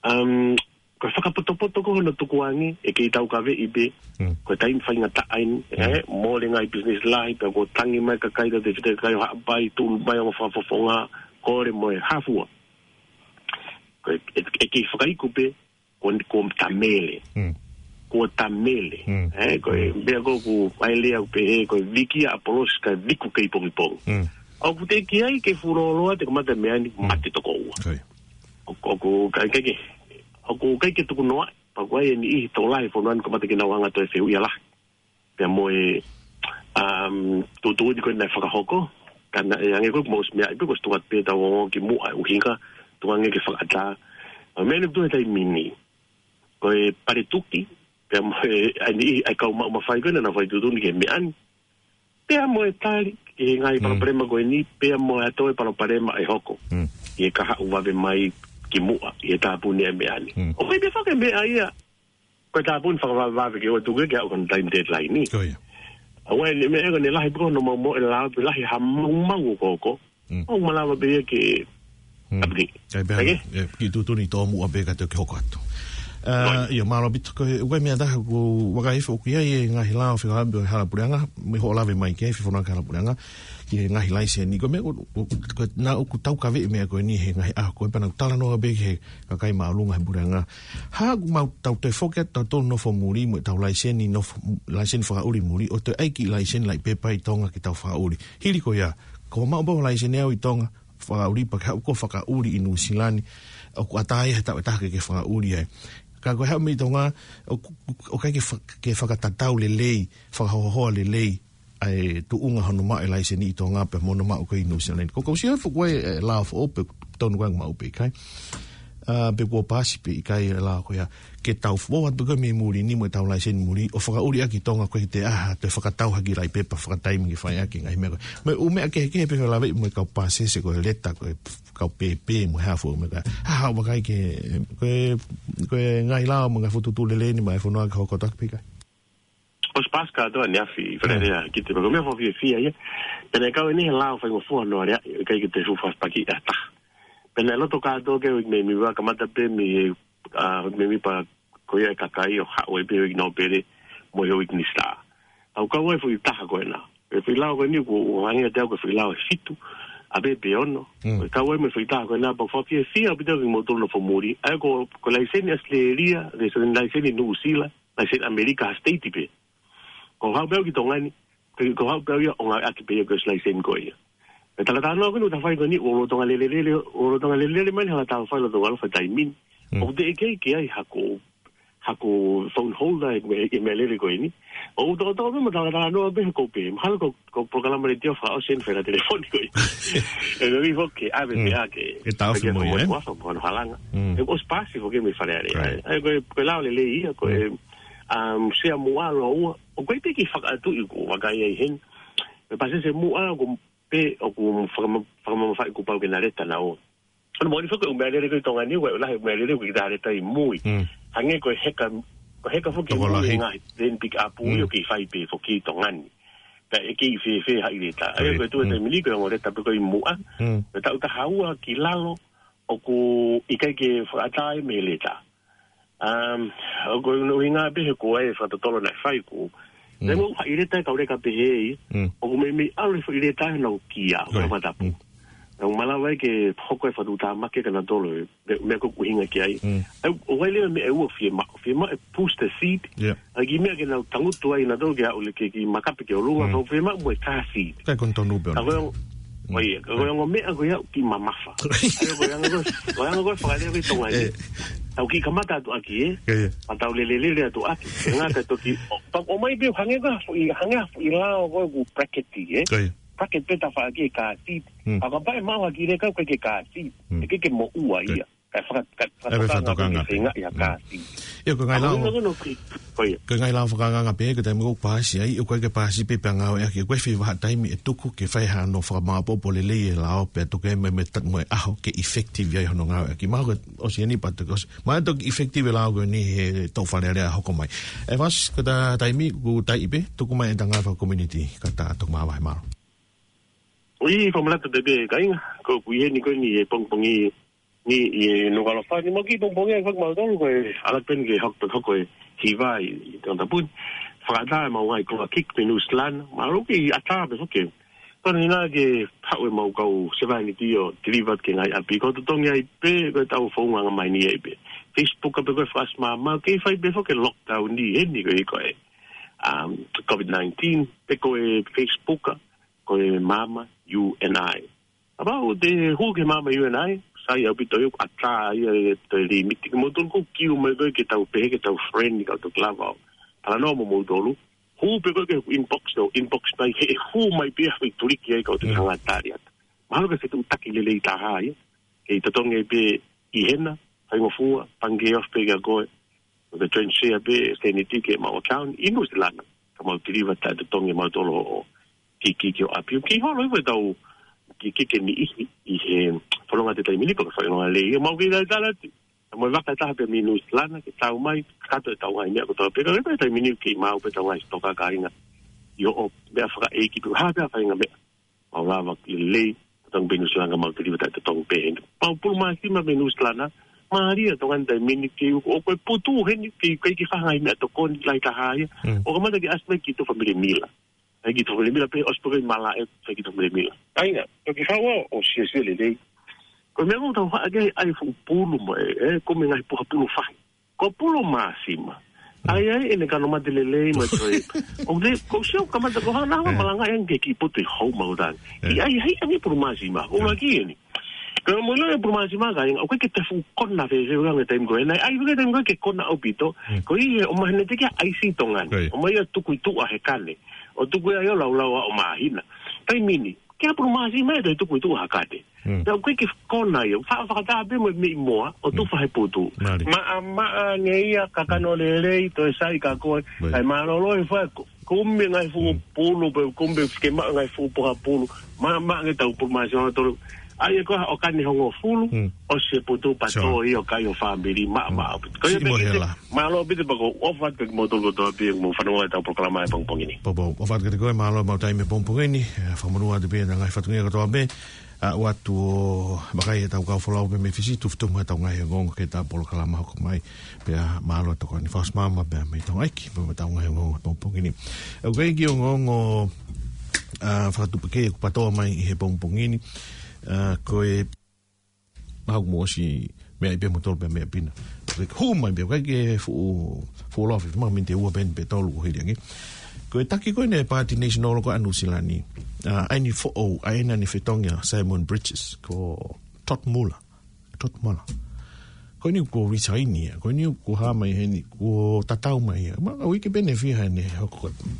Um, ko e fakapotopoto ko hono tukuange, ʻe kei taukaveʻi pē, Mm. ko e taimi faingataʻa eni, Mm. ʻe, mole ngaahi business lahi, pea ko e tangi mai kakai, tau tefito kakai ʻo Haʻapai, tulu mai ongo fakafofonga, kole mo e hā fua. Ko e, ʻe, ʻe kei fakaiku pē, ko, ko ta mele. Mm. Ko ta mele. Mm. ʻE, ko e, Mm. meʻa ko ē ʻoku ʻai lea ʻoku pehē, ko e viki ʻa ʻApolosi kae viku kei pongipongi. Mm. ʻOku teʻeki ai ke fuoloa te kamata meʻa ni Mm. mate toko ua. Ko ia. ʻOku, ʻoku ʻikai ke, ʻoku ʻikai ke tuku noa, pea ko e niʻihi tokolahi fonua ni kamata ke nau hanga toe fehuʻi ia lahi. Pea mo e, um, tuʻutuʻuni ko ē naʻe fakahoko, ka naʻe hangē ko e mo e meʻa ʻi pē ko e tuku atu pē tau ongo ki muʻa ʻuhinga, tuku ange ke fakaʻatā. ʻA e meʻa ni ʻoku tuʻu he taimi ni. Ko e paletuki, pea mo e, ʻa e niʻihi, ʻa e kau maʻu mafai ko ē naʻa nau fai tuʻutuʻuni ki he meʻa ni. Pea mo e tali, ki he ngaahi Mm. palopalema ko eni, pea mo e ʻa e toe palopalema ʻe hoko. Mm. ʻI he kahaʻu vave mai ki muʻa, ʻi he tāpuni e meʻa ni. Mm. ʻOku ʻi ai pē foki e meʻa ia, ko e tāpuni fakavavevave ke ʻoua ʻe tuku ke aʻu ki hono time deadline ni. Ko ia. ʻA ia ʻene meʻa ko ʻene lahi pē ko hono maumauʻi e lao pea lahi ha maumau ʻoku hoko. Mm. ʻOku malava pē ia ke Mm. tāpuni. ʻAi pē, Oke? ʻe, kiʻi tuʻutuʻuni tōmuʻa pē kae toki hoko atu. Ā, Right. ia, mālō ʻaupito ko e, ʻoku ʻi ai meʻa ʻe taha ʻoku vakai foki ai e ngaahi lao fekauʻaki mo e hala puleʻanga, mo hoʻo lave mai ki ai, fefonua ki he hala puleʻanga, ki he ngaahi laiseni. Ko e meʻa ʻoku, ʻoku, ko e, naʻa ʻoku taukaveʻi e meʻa ko eni he ngaahi ʻaho ko ē pea naʻa ku talanoa pē ki he kakai māʻolunga he puleʻanga. Hā ʻoku mau tau toe foki atu tautolu nofo muli mo ʻetau laiseni nofo, laiseni fakaʻuli muli, ʻo toe ʻai e kiʻi laiseni laʻi pepa ʻi Tonga ke tau fakaʻuli. Hili ko ia, ko e maʻu pē ʻo e laiseni ʻaʻau ʻi Tonga, fakaʻuli pea ke haʻu koe ʻo fakaʻuli ʻi Nuʻusila ni, ʻoku ʻatā ia he taʻu ʻe taha ke ke fakaʻuli ai. Ka ko e haʻu mei Tonga, ʻoku, ʻoku ʻikai ke fa-, ke fakatatau lelei, fakahoahoa lelei, ʻa e tuʻunga hono maʻu e laiseni ʻi Tonga pea mo hono maʻu ko ē ʻi Nuʻusila ni. Ko e kau sio foki ko ē, ʻe, lao foʻou pe tonu ko ē maʻu pe ʻikai. Ā, pe kuo paasi pe ʻikai e lao ko ia. Ke tau foʻou atu pē ko ē mei muli ni mo ʻetau laiseni muli, ʻo fakaʻuli ʻaki ʻi Tonga ko ē ʻi he ʻaho, toe fakatau ha kiʻi laʻi pepa fakataimi ke fai ʻaki e ngaahi meʻa ko ē. Mo e ʻū meʻa kehekehe pē ʻoku lave mo e kau pāsese ko e leta ko e kau pēpē mo e hā fua mo e meʻa. Ha, ha, vakai ki he, ko e, ko e ngaahi lao mo e ngaahi fokotuʻutuʻu lelei ʻeni maʻa e fonua ke hoko atu ki he pika. ʻOsi paasi kātoa ʻaneafi, Falealea, ki te pako meʻa fakafiefia ia. Pea naʻe kau ʻeni he lao faingofua hono aleaʻi, ʻikai ke te fuʻu fakapaki ʻe ha taha. Pea naʻe loto kātoa ke ui mei Mīva kamata pē mei he, ʻa, mei Mīva ko ia e kakai ʻo haʻu ai pē ʻo ui nōpele mo e ui minisitā. ʻOku kau ai foʻi taha ko ena. Ko e foʻi lao ko eni ʻoku hangē ʻiate au ko e foʻi lao ʻe fitu, ʻa pē pe ono. Mm. ʻOku kau ai mo e foʻi taha ko ena, pea fakafiefia ʻaupito kimoutolu nofo muli. ʻA ia ko, ko e laiseni ʻAositelēlia, laiseni, laiseni Nuʻusila, laiseni ʻAmelika ha state pē. Ko e haʻu pē au ki Tonga ni, ko e, ko e haʻu pē au ia ʻo ngāueʻaki pē ia ko e laiseni ko ia. Ko e talatalanoa ko eni ʻoku ta fai ko eni, ʻoku lolotonga lelelele, ʻoku lolotonga lelelele mai ʻene hala tau fai lolotonga ʻalu fai taimi ni. Mm. ʻOku teʻeki ai ke ʻi ai hako, hako phone holder ʻi he, ʻi he meʻalele ko eni. ʻOku tokotoko pē mo talatalanoa pē he ko pē. Mahalo ko, ko e polokalama letiō fakaʻosi ʻeni fai ʻa e telefoni ko ē. ʻE, ʻe, ʻe, foki, ʻave Mm. pē ake. ʻE taofi Pea mo ia, ke ʻe? Ko e ʻafa mo hono halanga. Mm. ʻE, ʻosi paasi foki mei Falealea. Right. ʻE, ko e, ko e lao lelei ia, ko e, Mm. um, Sea Muʻa Loa Ua. ʻOku ʻikai pē ke fakatuʻi ʻoku vakai ai heni. Pea Pasese Muʻa ʻoku pē ʻoku fakama-, fakamamafaʻi kuo pau ke na leta naua. Hono moʻoni foki ʻū meʻalele ko ē ʻi Tonga ni, ʻoku lahi ʻū meʻalele ʻoku ʻikai ke ta leta ʻi mui. Mm. Hangē ko e heka, ko e heka foki ʻi mui Tokolahi. Ngaahi, then pick up Mm. ʻio ke fai pē foki ʻi Tonga ni. Pea ʻe kei fēfē haʻi leta. ʻA ia Right. ko e tuʻu e Mm. taimi ni ko e ongo leta pē ko ē ʻi Muʻa. Mm. Pea taʻu taha ua ki lalo, ʻoku ʻikai ke fakaʻatā ia mei he leta. Um, ʻoku ʻuhinga pē he ko e fakatotolo naʻe fai ko. Mm. Naʻe mo haʻi leta e kau leka pehē ia. Mm. ʻOku meimei ʻalu e foʻi leta he nau kia, Right. ʻo fatapu. Mm. Naʻa nau malava ai ke hoko e fakatuʻutāmaki kia nautolu, meʻa, meʻa ʻoku ʻuhinga ki ai. Mm. ʻA ia, ʻoku ʻi ai leva meʻa ʻe ua fiemaʻu, fiemaʻu e booster seat. Yeah. ʻA ia kiʻi meʻa ke nau tangutu ai nautolu ke aʻu leva ki he makape ki ʻolunga, Mm. ka fiemaʻu mo e car seat. Ka ko e tonu pē ʻOna. Ka ko e ongo, Mm. ʻo ia, ka ko e ongo meʻa ko ia ʻoku kiʻi mamafa. ʻA ia ko e anga ko ē, ko e anga ko ē fakalea ko ē ʻi Tonga ni. Eh. Tau kiʻi kamata atu ʻaki ē. Ia, ia. Pea tau lelelele atu ʻaki. He ngata toki, ʻo, pea ʻomai pē hangē ha foʻi, hangē ha foʻi lao ko ē ʻoku bracket ē. Ia, ia. Bracket pē tafaʻaki e car seat. Mm. Pea kapau ʻe maʻu ha kiʻi leka ʻoku ʻikai ke car seat. Mm. ʻE ʻikai ke moʻua Ia. ia. Kae faka-, kae Kae fakatokanga fakatokanga pē. Pē ngaahi ʻa Mm. car seat. Ia, ko e ngaahi Ako lao, ina kono ki, ko ia. ko e ngaahi lao fakaangaanga pē, ko e taimi ʻoku paasi ai, ʻoku ʻikai ke paasi pē pea ngāueʻaki, ʻoku ʻi ai e foʻi vahaʻa taimi ʻe tuku ke fai hano fakamāʻopoʻopo lelei e lao, pea tuku ia mei, mei he ta-, mo e ʻaho ke effective ai hono ngāueʻaki. Mahalo ko e ʻosi ʻeni pea toki ʻosi. Mahalo toki effective e lao ko eni he taʻu Falealea hoko mai. ʻE Fasi, ko e ta-, taimi ʻoku taiʻi pē, tuku mai e ngāue faka-community, kae ta toki māvae, mālō. ʻOi, fakamanatu pē pē, kāinga, ko ʻeku ʻi heni ko eni he pongipongi ni ʻi Nukuʻalofa ni, mo e kiʻi pongipongi ʻa e fakamatolu ko e ala pē eni ke hoko, hoko e hiva ʻi, ʻi Tongatapu ni. Fakaʻatā ʻemau ngaahi koloa kick mei Nuʻusila na, mahalo ke ʻatā pē foki. Ko ena ke haʻu ʻemau kau sevāniti ʻo deliver ki he ngaahi ʻapi, ko e totongi ai pē, ko ʻetau founga anga mai ni ai pē. Facebook pē ko e fakaʻosi māmā, kei fai pē foki e lockdown ni heni ko e, ko e, um, COVID nineteen, pe ko e Facebook, ko e Mama U N I. Kapau te hū ki he Mama U N I, sai ʻaupito ia ʻoku ʻatā ia e toe limiti. Kimoutolu ʻoku kiu mai ko ē ke tau pehē ke tau friend ni kau toki lava ʻo talanoa mo moutolu. Hū pē ko ē ki he inbox, ʻo inbox mai he hū mai pē ia ʻi tuliki ai kau toki Mm. hanga tali atu. Mahalo ko e fetuʻutaki lelei taha ia. Kei totongi pē ʻi hena, faingofua, pangikē ofi pē kia koe. Ko e transfer pē, send it ki heʻemau account, ʻi Nuʻusila na. Ka mau deliver taʻetotongi ʻemautolu ʻo kick ki ho ʻapi. Kei holo hifo ʻetau kick ki he niʻihi ʻi he fononga he taimi ni pea ko e fononga lelei. Mau kei talitali atu. Ka mau vaka taha pē mei Nuʻusila na, ke tau mai, kakato ʻetau ngaahi meʻa kotoa pē. Ka ko e taimi ni kei maʻu pē ʻetau ngaahi sitoka kāinga. ʻIo, ʻo, meʻa fakaʻeiki pē, ha pē faʻahinga meʻa. Mau lava ke lelei, totongi pē Nuʻusila na ka mau deliver taʻetotongi pē heni. Mau pulu māsima mei Nuʻusila na, mālie Tonga ni taimi ni kei ʻoku, ʻoku ʻi ai e putu heni, kei, kei ke fai ha ngaahi meʻatokoni lahi taha ia. Mm. ʻO kamata ke ʻasi mai ki tuʻa Fale Mila. ʻAi ki tuʻa Fale Mila pē, ʻosi pē ko e malaʻe, ʻai ki tuʻa Fale Mila. Kāinga, toki fau ʻo siosio lelei. Ko e meʻa ʻoku tau haʻa ke ʻai fuʻu pulu mo e, ʻe, ko e meʻa ngaahi puha pulu fahi. Ko e pulu māsima. ʻAi, ʻai, ʻene kano mate lelei mai toe. ʻOku te, ko e sio kamata ko hana, ʻe, malanga ʻe ange ki putu ʻi hou mau tani. ʻE. ʻAi, ʻai, ʻai, pulu māsima. ʻOku ʻe, laki eni. Ka mo ʻilo e pulu māsima kāinga, ʻoku ʻikai ke te fuʻu kona fēfē ʻi he taimi ko ē. Naʻe ʻai ʻi he taimi ko ē ke kona ʻaupito. Mm. Ko ia, ʻomai heni te ke ʻai ʻi Tonga ni. Right. ʻOmai ia tuku ʻi tuʻa he kane. ʻO tuku ia ʻo laulau ʻo māhina. Taimi ni. Ke ʻai pulu māsima ʻe toe tuku ʻi tuʻa ha kane. Mm. Naʻe ʻikai ke kona ia, fa-, fakatā pē mo e meʻi moa, ʻo Mm. tufa he putu. Mālie. Maʻamaʻa ange ia, kakano lelei, toe sai kia koe. Right. ʻAi mālōlō e fai, ko-, kumi ngaahi fuʻu Mm. pulu, pe kumi ke maʻu ngaahi fuʻu puha pulu. Maʻamaʻa ange ʻetau pulu māsima ʻa tolu. ʻA ia ko e ʻoka ni hongofulu, ʻosi e putu pea tō ia ʻo kai ʻo fāmili maʻamaʻa ʻaupito. Ko ia pē Kite, mālō ʻaupito pea ʻoku ou ʻofa atu kiate kimoutolu kotoa pē ʻoku mou fanongo ʻi heʻetau polokalama he pongipongi ni. Pea ʻoku ou ʻofa atu kiate koe, mālō e maʻu taimi he pongipongi ni, ʻa, fakamonū atu pē ʻa e ngaahi fatongia kotoa pē, ʻa, ʻoatu ʻo vakai ʻetau kau folau pē mei Fisi, tuku fitumu ʻetau ngaahi ongoongo ki heʻetau polokalama hoko mai. Pea mālō e tokoni fakaʻosi maama pē mei Tonga ʻEiki, pea mo ʻetau ngaahi ongoongo he pongipongi ni. ʻOku ʻi ai e kiʻi ongoongo, ʻa, fakatupu kehe ʻoku pātoa mai ʻi he pongipongi ni, ʻa, ko e, mahalo kuo mou ʻosi meaʻi pē moutolu pē meʻa pina. Ko e hū mai pē, ʻikai ke fuʻu, fuʻu lahi, mahalo miniti ʻe ua pē pe tolu kuo hili ange. Ko e taki ko eni e Paati National ko ē ʻa Nuʻu Sila ni, ʻa, ʻa eni foʻou, ʻa ena naʻe fetongi ʻa Simon Bridges, ko Todd Muller. Todd Muller. Ko eni kuo resign ia, ko eni kuo hā mai heni, kuo tatau mai ia. Ma, uike pē ʻe fiha ʻene hoko ko e,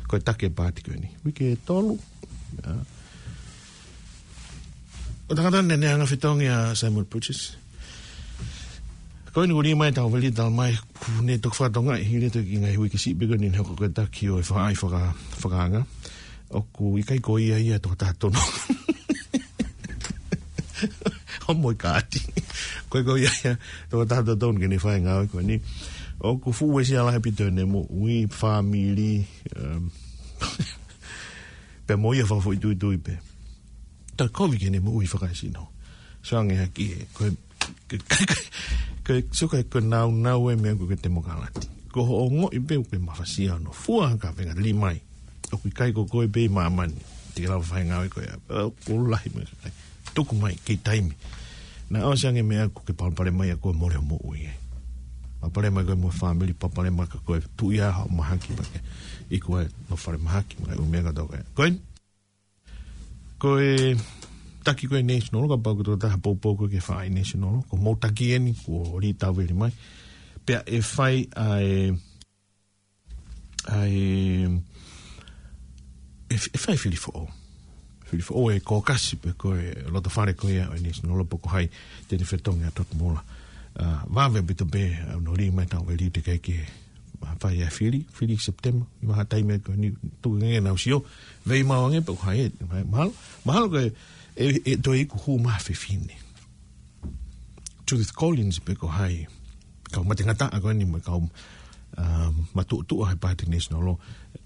ko e taki e paati ko eni. Uike ʻe tolu. ʻA. Ko e tangata naʻe, naʻe hanga ʻo fetongi ʻa Simon Bridges. Ko eni kuo lī mai ʻetau veli, talamai kuo ne toki fakatokangaʻi hili e toki ngaahi uike siʻi pē ko eni naʻe hoko ko e taki ʻo e faʻahi faka-, fakaanga. ʻOku ʻikai ko ia ia e tokotaha totonu. Homo e kaati. ʻIkai ko ia ia e tokotaha totonu ke ne fai e ngāue ko eni. ʻOku fuʻu uesia lahi ʻaupito ʻene moʻui, fāmili, um, pea mo ia fakafoʻituitui pē. Toe kovi ki heʻene moʻui fakaesino. So ange hake, ko e, ko e, ko e, so ko e, ko e naunau e meʻa ko e temokalati. Ko hoʻo ongoʻi pē ʻoku ke mafasia hono fua ha kaveinga, lī mai. ʻOku ʻikai ko koe pē ʻi māmani te ke lava fai e ngāue ko ia. ʻOku lahi mo e kakai. Tuku mai, kei taimi. Naʻa ʻosi ange e meʻa ʻoku ke palopalema ai ʻa koe mo hoʻo moʻui ē. Palopalema ai koe mo e fāmili, palopalema ai koe, tuʻu ia hoʻo mahaki pea ke iku ai hoʻo fale mahaki, mo e ʻū meʻa kotoa ko ia. Ko eni, ko e taki ko ē National, kapau ko e tokotaha poupou koe ki he faʻahi National, ko hoʻomou taki eni, kuo lī tau veli mai. Pea ʻe fai ʻa e, ʻa e, ʻe f-, ʻe fai e fili foʻou. Fili foʻou e caucus pe ko e loto fale ko ia ʻo e National pe ko hai te ne fetongi ʻa Todd Muller. ʻA, vave ʻaupito pē, ʻa, hono lī mai tau veli te ke ke, ʻa, fai e fili, fili September, ʻi he vahaʻa taimi ko eni, tuku ange ke nau sio, vei mau ange pe ko hai, mahalo, mahalo ko e, ʻe, ʻe toe iku hū mai ha fefine. Judith Collins pe ko hai, kau matengataʻa ko eni mo e kau, um, matuʻotuʻa he Paati National,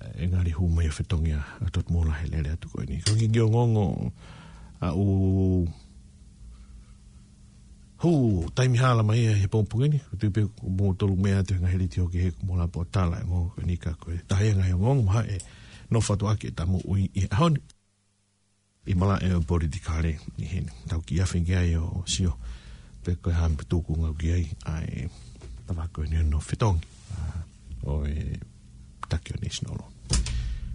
ʻe ngali hū mai ʻo fetongi ʻa, ʻa Todd Muller he lele atu ko eni. Ko e kiʻi ongoongo ʻa ʻoku hū taimi hala mai ia he pongipongi ni, ʻoku ou tui pē ʻoku mou tolu meʻa atu he ngaahi letiō kehe ʻoku mou lava ʻo tala e ongoongo ko eni ka ko e taha ia e ngaahi ongoongo mahuʻinga ʻe nofo atu ʻaki ʻeta moʻui ʻi he ʻaho ni. ʻI he malaʻe ʻo e politikale ʻi heni. Tau kiʻi afe ki ai ʻo sio pe ko e hā e meʻa ʻoku tuku ngau ki ai ʻa e tafaʻaki ko eni hono fetongi, ʻa, ʻo e taki ʻo e National.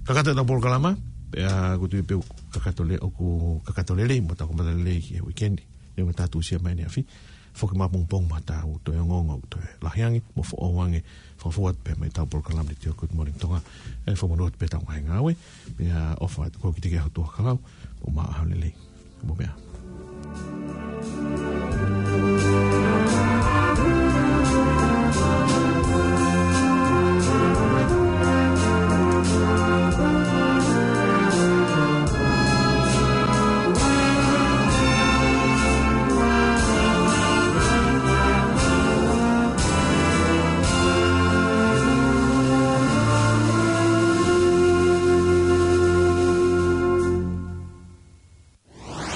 Kakato ʻetau polokalama, pea ʻoku ou tui pē ʻoku kakato le-, ʻoku kakato lelei, mo tau kamata lelei ki he uike ni. Neongo ʻetau tuʻusia mai ʻaneafi, foki mai ʻapongipongi mo ʻetau toe ongoongo ʻoku toe lahi ange, mo foʻou ange, fakafou atu pē mei heʻetau polokalama letiō Good Morning Tonga, ʻe fakamonū atu pē ʻetau ngaahi ngāue, pea ʻofa atu ko kite ke ahu tuʻa kalau, mo maʻa ʻaho lelei, mo meʻa.